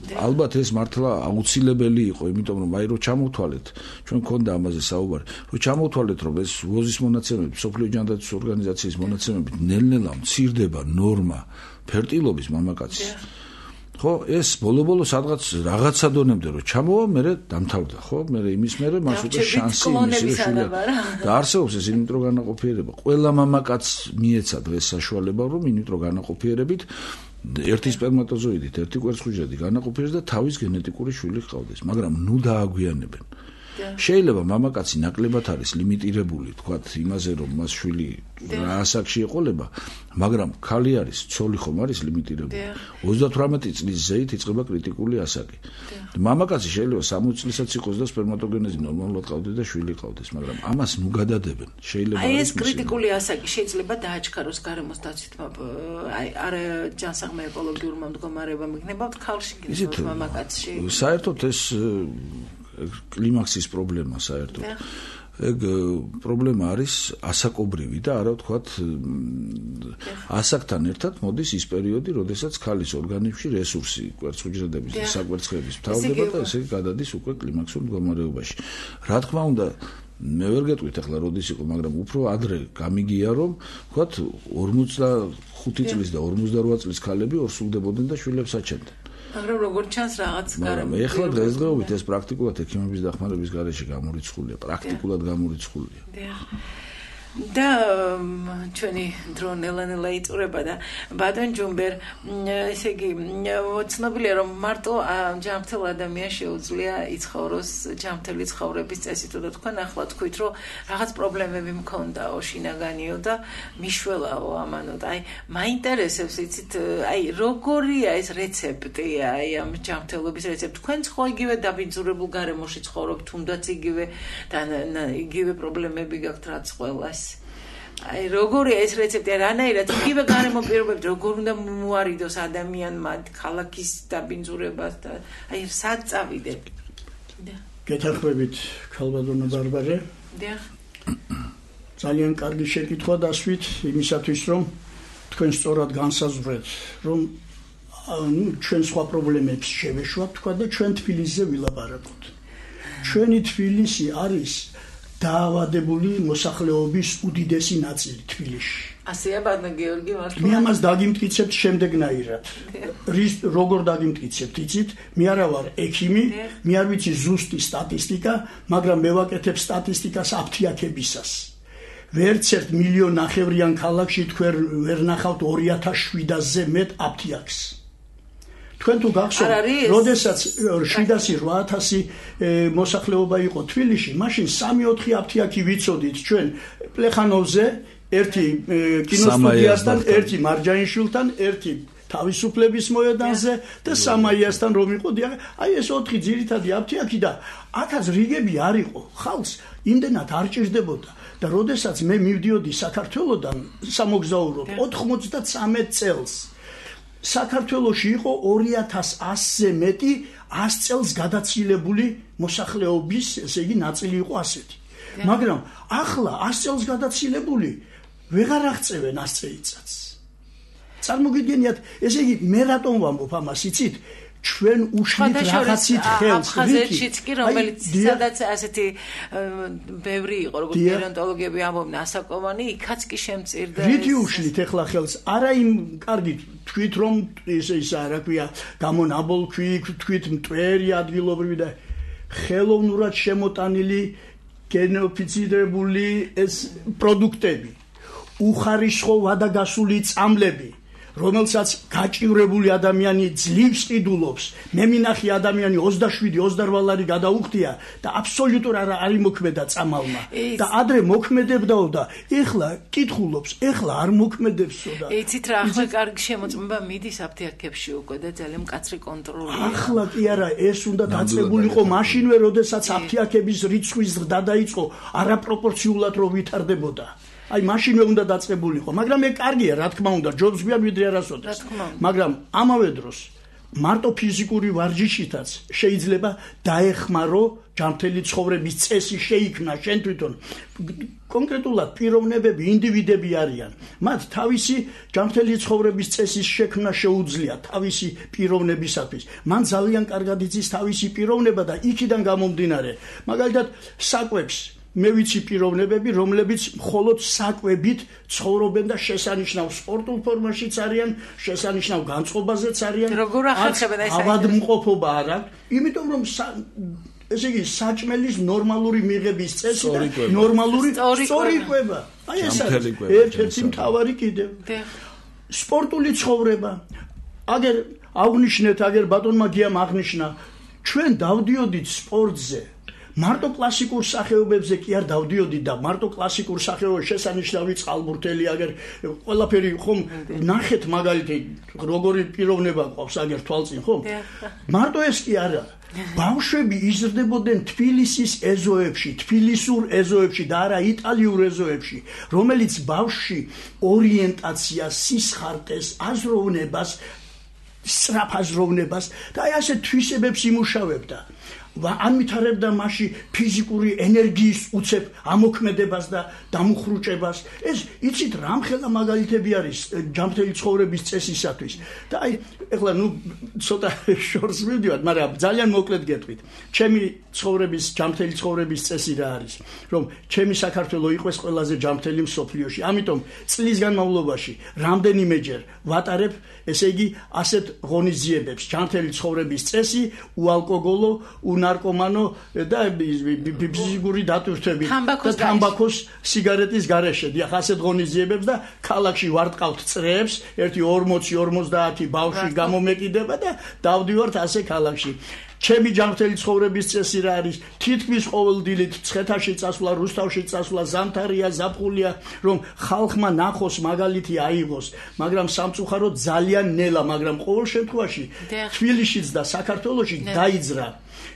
ალბათ ეს მართლა აუცილებელი იყო, იმიტომ რომ აი რო ჩამოვთვალეთ, ჩვენ მქონდა ამაზე საუბარი, რო ჩამოვთვალეთ, რომ ეს ვოზის მონაცემები, სოფლიო ჯანდაცვის ორგანიზაციის მონაცემებით ნელ-ნელა მცირდება ნორმა ფერტილობის მამაკაცის. ხო, ეს ბოლო-ბოლო სადღაც რაღაცა დონემდე რომ ჩამოვა, მერე დამთავრდა, ხო? მერე იმის მერე მას უკვე შანსი იმისია და არსებობს ეს ინვიტრო განაყოფიერება. ყველა მამაკაცს მიეცა დღეს საშუალება, რომ ინვიტრო განაყოფიერებით ერთი სპერმატოზოიდით, ერთი კვერცხუჯრედი განაყოფიერდეს და თავის გენეტიკური შვილი ჰყავდეს, მაგრამ ნუ დააგვიანებენ. შეიძლება მამაკაცი ნაკლებად არის ლიმიტირებული, თქვათ, იმაზე, რომ მას შვილი რა ასაკში ეყოლება, მაგრამ ქალი არის, ცოლი ხომ არის ლიმიტირებული. 38 წლის ზეით იწყება კრიტიკული ასაკი. მამაკაცი შეიძლება 60 წლისაც იყოს და სპერმატოგენეზი ნორმალურად ყავდეს და შვილი ყავდეს, მაგრამ ამას ნუ გადადებენ. შეიძლება აი ეს კრიტიკული ასაკი შეიძლება დააჩქაროს გარემოს დაცვითმა, აი არ ჯანსაღმა ეკოლოგიურმა მდგომარეობამ იქნება ქალში კიდევ მამაკაცში. საერთოდ ეს კლიმაქსის პრობლემა საერთოდ. ეგ პრობლემა არის ასაკობრივი და არა ვთქვათ ასაკთან ერთად მოდის ის პერიოდი, როდესაც ქალის ორგანიზმში რესურსი, კვერცხუჯრედების და საკვერცხლების მთავრდება და ესე გადადის უკვე კლიმაქსურ მდგომარეობაში. რა თქმა უნდა, მე ვერ გეტყვით ახლა როდის იყო, მაგრამ უფრო ადრე გამიგია, რომ ვთქვათ 45 წლის და 48 წლის ქალები ორსულდებოდნენ და შვილებს აჩენდნენ. მაგრამ როგორ ჩანს რაღაც მაგრამ ეხლა დღესდღეობით ეს პრაქტიკულად ექიმების დახმარების გარეშე გამორიცხულია, პრაქტიკულად გამორიცხულია. და ჩვენი დრო ნელა იწურება და ბადონ ჯუმბერ ესე იგი ცნობილია რომ მარტო ჯანმრთელ ადამიანს შეუძლია იცხოვროს ჯანმრთელი ცხოვრების წესით და თქვენ ახლა თქვით რომ რაღაც პრობლემები მქონდაო შინაგანიო და მიშველაო ამანო და აი მაინტერესებს იცით აი როგორია ეს რეცეპტი აი ამ ჯანმრთელობის რეცეპტი თქვენ ხო იგივე დაბინძურებულ გარემოში ცხოვრობთ თუნდაც იგივე და იგივე პრობლემები გაქვთ რაც ყველას აი როგორია ეს რეცეპტი რანაირად იგივე გარემო პირობებით როგორ უნდა მოარიდოს ადამიანმა ქალაქის დაბინძურებას და აი სად წავიდეთ გეთანხმებით ქალბატონო ბარბარე ძალიან კარგი შეკითხვა დასვით იმისათვის რომ თქვენ სწორად განსაზღვრეთ რომ ჩვენ სხვა პრობლემებს შევეშვათ თქვა და ჩვენ თბილისზე ვილაპარაკოთ ჩვენი თბილისი არის დაავადებული მოსახლეობის უდიდესი ნაწილი თბილისში. ასეა ბატონო გიორგი მართლა. მე ამას დაგიმტკიცებთ შემდეგნაირად. როგორ დაგიმტკიცებთ, იცით? მე არა ვარ ექიმი, მე არ ვიცი ზუსტი სტატისტიკა, მაგრამ მე ვაკეთებ სტატისტიკას აფთიაქებისას. ვერც ერთ მილიონ ნახევრიან ქალაქში თქვენ ვერ ნახავთ 2700-ზე მეტ აფთიაქს. თქვენ თუ გახსოვთ, როდესაც 700-8000 მოსახლეობა იყო თბილისში, მაშინ 3-4 აფთიაქი ვიცოდით ჩვენ პლეხანოვზე, ერთი კინოსტუდიასთან, ერთი მარჯანიშვილთან, ერთი თავისუფლების მოედანზე და სამაიასთან რომ იყო, აი ეს 4 ძირითადი აფთიაქი და აქაც რიგები არ იყო, ხალხს იმდენად არ ჭირდებოდა და როდესაც მე მივდიოდი საქართველოდან სამოგზაუროდ 93 წელს საქართველოში იყო 2100-ზე მეტი 100 წელს გადაცილებული მოსახლეობის, ესე იგი, ნაწილი იყო ასეთი. მაგრამ ახლა 100 წელს გადაცილებული ვეღარ აღწევენ 100 წელიწადს. წარმოგიდგენიათ, ესე იგი, მე რატომ ვამბობ ამას, იცით? ჩვენ უშლით რაღაცით ხელს აფხაზეთშიც კი რომელიც სადაც ასეთი ბევრი იყო როგორც გერონტოლოგები ამბობენ ასაკოვანი იქაც კი შემწირდა რითი უშლით ეხლა ხელს არა იმ კარგი თქვით რომ ის რა ქვია გამონაბოლქვი თქვით მტვერი ადგილობრივი და ხელოვნურად შემოტანილი გენოფიცირებული ეს პროდუქტები უხარისხო ვადაგასული წამლები რომელსაც გაჭირებული ადამიანი ძლივს ყიდულობს მე მინახი ადამიანი 27-28 ლარი გადაუხდია და აბსოლუტურად არ იმოქმედა წამალმა და ადრე მოქმედებდაო და ეხლა კითხულობს ეხლა არ მოქმედებსო და იცით რა ახლა კარგი შემოწმება მიდის აფთიაქებში უკვე და ძალიან მკაცრი კონტროლია ახლა კი არა ეს უნდა დაწყებულიყო მაშინვე როდესაც აფთიაქების რიცხვის ზრდა დაიწყო არაპროპორციულად რომ ვითარდებოდა აი მაშინვე უნდა დაწყებულიყო, მაგრამ მე კარგია, რა თქმა უნდა, ჯობს გვია ვიდრე არასოდეს. მაგრამ ამავე დროს მარტო ფიზიკური ვარჯიშითაც შეიძლება დაეხმარო ჯანმრთელი ცხოვრების წესი შეიქმნა შენ თვითონ. კონკრეტულად პიროვნებები, ინდივიდები არიან. მათ თავისი ჯანმრთელი ცხოვრების წესის შექმნა შეუძლია თავისი პიროვნებისათვის. მან ძალიან კარგად იცის თავისი პიროვნება და იქიდან გამომდინარე, მაგალითად, საკვებს მე ვიცი პიროვნებები, რომლებიც მხოლოდ საკვებით ცხოვრობენ და შესანიშნავ სპორტულ ფორმაშიც არიან, შესანიშნავ განწყობაზეც არიან. როგორ ახერხებენ ეს ავადმყოფობა არ აქვს, იმიტომ რომ ესე იგი საჭმელის ნორმალური მიღების წესი და ნორმალური სწორი კვება. აი ეს ერთ-ერთი მთავარი კიდევ. სპორტული ცხოვრება. აგერ აღნიშნეთ, აგერ ბატონმა გიამ აღნიშნა, ჩვენ დავდიოდით სპორტზე მარტო კლასიკურ სახეობებზე კი არ დავდიოდი და მარტო კლასიკურ სახეობებში შესანიშნავი წყალბურთელი აგერ ყველაფერი ხომ ნახეთ მაგალითი როგორი პიროვნება ყავს აგერ თვალწინ ხომ მარტო ეს კი არა ბავშვები იზრდებოდნენ თბილისის ეზოებში თბილისურ ეზოებში და არა იტალიურ ეზოებში რომელიც ბავშვში ორიენტაციას სისხარტეს აზროვნებას სწრაფ აზროვნებას და აი ასე თვისებებს იმუშავებდა ამითარებდა მასში ფიზიკური ენერგიის უცებ ამოქმედებას და დამუხრუჭებას. ეს იცით რამხელა მაგალითები არის ჯანმრთელი ცხოვრების წესისათვის. და აი ეხლა ცოტა შორს მივდივართ, მაგრამ ძალიან მოკლედ გეტყვით. ჩემი ცხოვრების ჯანმრთელი ცხოვრების წესი რა არის? რომ ჩემი საქართველო იყოს ყველაზე ჯანმრთელი მსოფლიოში. ამიტომ წლის განმავლობაში რამდენიმეჯერ ვატარებ, ესე იგი, ასეთ ღონისძიებებს. ჯანმრთელი ცხოვრების წესი, უალკოგოლო, უნარკომანო და ფიზიკური დატვირთვები და თამბაქოს სიგარეტის გარეშე. დიახ, ასეთ ღონისძიებებს და ქალაქში ვარტყავთ წრეებს, 1-40-50 ბავშვი გამომეკიდება და დავდივართ ასე ქალაქში. ჩემი ჯანმრთელი ცხოვრების წესი რა არის? თითქმის ყოველ დილით ცხეთაში წასვლა, რუსთავში წასვლა, ზამთარია, ზაფხულია, რომ ხალხმა ნახოს, მაგალითი აიღოს, მაგრამ სამწუხაროდ ძალიან ნელა, მაგრამ ყოველ შემთხვევაში თბილისშიც და საქართველოში დაიძრა.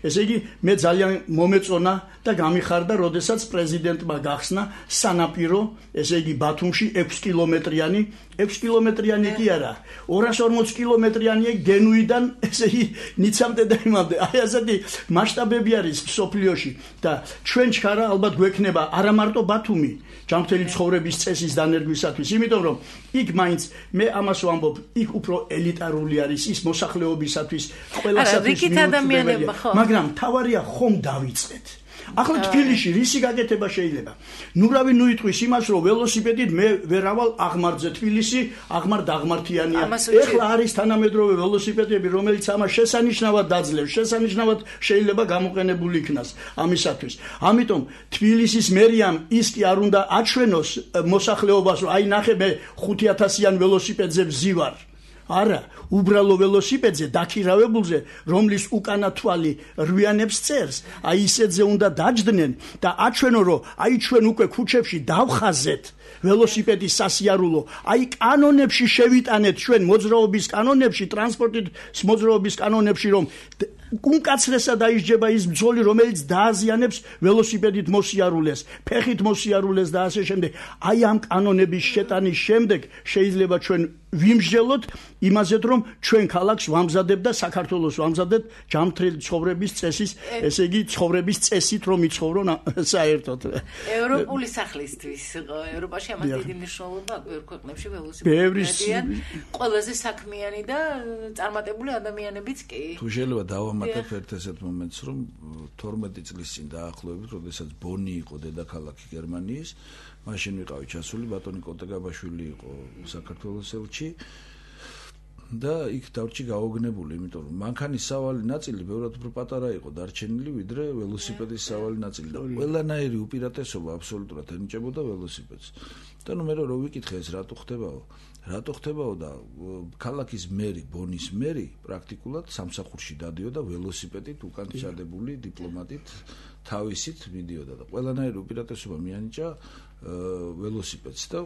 ესე იგი, მე ძალიან მომეწონა და გამიხარდა, როდესაც პრეზიდენტმა გახსნა სანაპირო, ესე იგი ბათუმში 6 კილომეტრიანი, 6 კილომეტრიანი კი არა, 240 კილომეტრიანია გენუიდან, ესე იგი, ნიცამდე და იმამდე. აი ასეთი მასშტაბები არის მსოფლიოში და ჩვენ ჩქარა ალბათ გვექნება არა მარტო ბათუმი ჯანმრთელი ცხოვრების წესის დანერგვისათვის, იმიტომ რომ იქ მაინც მე ამას ვამბობ, იქ უფრო ელიტარული არის ის მოსახლეობისათვის, ყველასათვის მიუწვდომელია, მაგრამ თავარია ხომ დავიწყეთ. ახლა თბილისში რისი გაკეთება შეიძლება? ნურავი ნუიტყვის იმას, რომ ველოსიპედით მე ვერავალ აღმართზე თბილისი, აღმართიანია. ეხლა არის თანამედროვე ველოსიპედები, რომელიც ამას შესანიშნავად დაძლევს, შესანიშნავად შეიძლება გამოყენებული იქნას ამისათვის. ამიტომ თბილისის მერიამ ის კი არ უნდა აჩვენოს მოსახლეობას, რომ აი ნახე მე 5000-იან ველოსიპედზე ვზივარ. არა, უბრალო ველოსიპედზე დაქირავებულზე, რომლის უკანა თვალი რვიანებს წერს, აი ისეთზე უნდა დაჯდნენ და აჩვენო, რომ აი ჩვენ უკვე ქუჩებში დავხაზეთ ველოსიპედის სასიარულო, აი კანონებში შევიტანეთ ჩვენ მოძრაობის კანონებში, ტრანსპორტით მოძრაობის კანონებში, რომ უმკაცრესად დაისჯება ის ბრძოლი, რომელიც დააზიანებს ველოსიპედით მოსიარულეს, ფეხით მოსიარულეს და ასე შემდეგ. აი ამ კანონების შეტანის შემდეგ შეიძლება ჩვენ ვიმსჯელოთ იმაზეთ, რომ ჩვენ ქალაქს ვამზადებ და საქართველოს ვამზადებ ჯანმრთელი ცხოვრების წესის, ესე იგი ცხოვრების წესით, რომ იცხოვრონ საერთოდ. ევროპული სახლისთვის ევროპაში ამას დიდი მნიშვნელობა აქვს, ბევრ ქვეყნებში ველოსიპედიან ყველაზე საქმიანი და წარმატებული ადამიანებიც კი. თუ შეიძლება დავამატებ ერთ ესეთ მომენტს, რომ 12 წლის წინ დაახლოებით, როდესაც ბონი იყო დედაქალაქი გერმანიის, მაშინ ვიყავი ჩასული, ბატონი კოტეგაბაშვილი იყო საქართველოს ელჩი და იქ დავრჩი გაოგნებული, იმიტომ რომ მანქანის სავალი ნაწილი ბევრად უფრო პატარა იყო დარჩენილი, ვიდრე ველოსიპედის სავალი ნაწილი და ყველანაირი უპირატესობა აბსოლუტურად ენიჭებოდა ველოსიპედს. და მე რო ვიკითხე ეს რატო ხდებაო და ქალაქის მერი, ბონის მერი პრაქტიკულად სამსახურში დადიოდა ველოსიპედით უკან ჩადებული დიპლომატით თავისით მიდიოდა და ყველანაირი უპირატესობა მიანიჭა ველოსიპედს და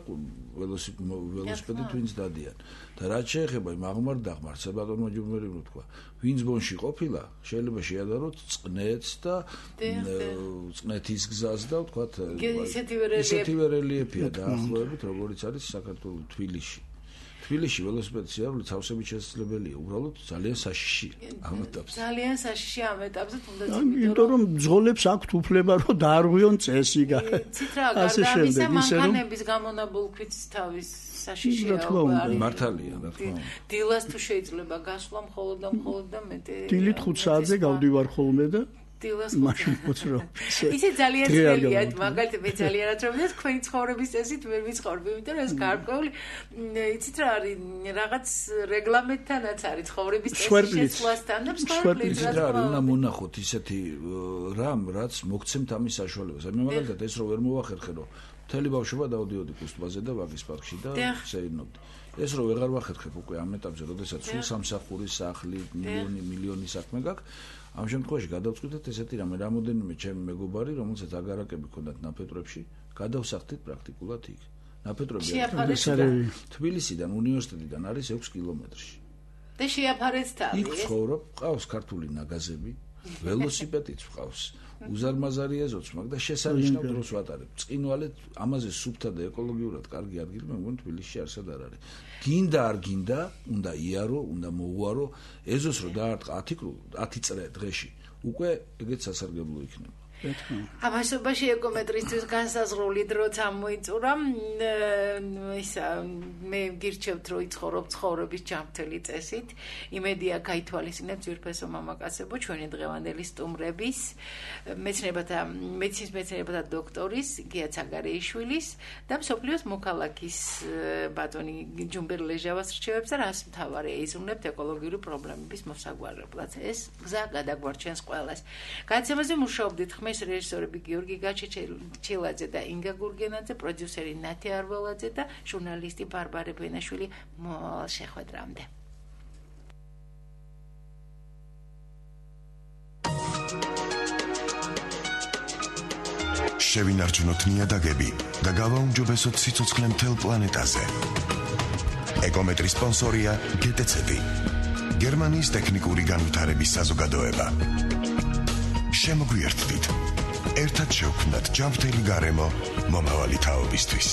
ველოსიპედით ვინც დადიან. და რაც შეეხება იმ აღმარ-დაღმართ, საბატონო ჯუმერი ვთქვა, ვინც ბონში ყოფილა, შეიძლება შეადაროთ წყნეთს და წყნეთის გზას და ვთქვათ, ისეთივე რელიეფია დაახლოებით, როგორც არის საქართველოს თბილისში. თბილისში ველოსიპედის სიარული თავსებით შესაძლებელია, უბრალოდ ძალიან საშიში ამ ეტაპზე. ძალიან საშიში ამ ეტაპზე თუნდაც იმიტომ რომ ბრძოლებს აქვთ უფლება, რომ დაარღვიონ წესი. ასე შემდეგ, მანქანების გამონაბოლქვით თავის საშიშია არის. მართალია, რა თქმა უნდა. დილას თუ შეიძლება გასვლა მხოლოდ და მეტი. დილით 5 საათზე გავდივარ ხოლმე და დილას მაშინ ვფოცრო. ისე ძალიან ძნელია, მაგალითად მე ძალიანაც რომ თქვენი ცხოვრების წესით ვერ ვიცხოვრობ, იმიტომ რომ ეს გარკვეული იცით რა არის, რაღაც რეგლამენტთანაც არის ცხოვრების წესის შეცვლასთან და მსხვერპლიც რა არის, უნდა მონახოთ ისეთი რამ, რაც მოგცემთ ამის საშუალებას. მე მაგალითად ეს რო ვერ მოვახერხე, რომ მთელი ბავშვობა დავდიოდი კუსტბაზე და ვაგის პარკში და შეინობდი. ეს რო ვეღარ ვახერხებ უკვე ამ ეტაპზე, როდესაც სულ სამსახურის სახლი, მილიონი საქმე გაქვს. ამ შემთხვევაში გადავწყვიტეთ ესეთი რამე, რამოდენიმე ჩემი მეგობარი, რომელსაც აგარაკები ჰქონდათ ნაფეტრებში, გადავსახდით პრაქტიკულად იქ. ნაფეტრები თბილისიდან უნივერსიტეტიდან არის 6 კილომეტრში. და შეაფარეთ თავი. იქ ცხოვრობ, ყავს ქართული ნაგაზები, ველოსიპედიც ყავს. უზარმაზარია ზოც, მაგრამ შესანიშნავ დროს ვატარებ. წინვალეთ ამაზე სუფთა და ეკოლოგიურად კარგი ადგილი მე მგონი თბილისში არსად არ არის. გინდა არ გინდა, უნდა იარო, უნდა მოუარო, ეზოს რო დაარტყა 10 წრე დღეში. უკვე ეგეც სასარგებლო იქნება. ამასობაში ეკომეტრისთვის განსაზღვრული დროც ამოიწურა. მე გირჩევთ, რომ იცხოვრობ ცხოვრების ჯანმრთელი წესით. იმედია გაითვალისწინებთ ძვირფესო მამაკაცებო ჩვენი დღევანდელი სტუმრების, მეცინის მეცნიერებათა დოქტორის გია ცაგარეიშვილის და მსოფლიოს მოქალაქის ბატონი ჯუმბერ ლეჟავას რჩევებს და რას მთავარი ეიზრუნებთ ეკოლოგიური პრობლემების მოსაგვარებლად. ეს გზა გადაგვარჩენს ყველას. გადაცემაზე მუშაობდით ხმის რეჟისორები გიორგი გაჩეჩილაძე და ინგა გურგენაძე, პროდიუსერი ნათი არველაძე და ჟურნალისტი ბარბარე ბენაშვილი. მოვალ შეხვედრამდე. შევინარჩუნოთ ნიადაგები და გავაუმჯობესოთ სიცოცხლე მთელ პლანეტაზე. ეკომეტრის სპონსორია გეტეცები, გერმანიის ტექნიკური განვითარების საზოგადოება. შემოგვიერთდით, ერთად შევქმნათ ჯანმრთელი გარემო მომავალი თაობისთვის.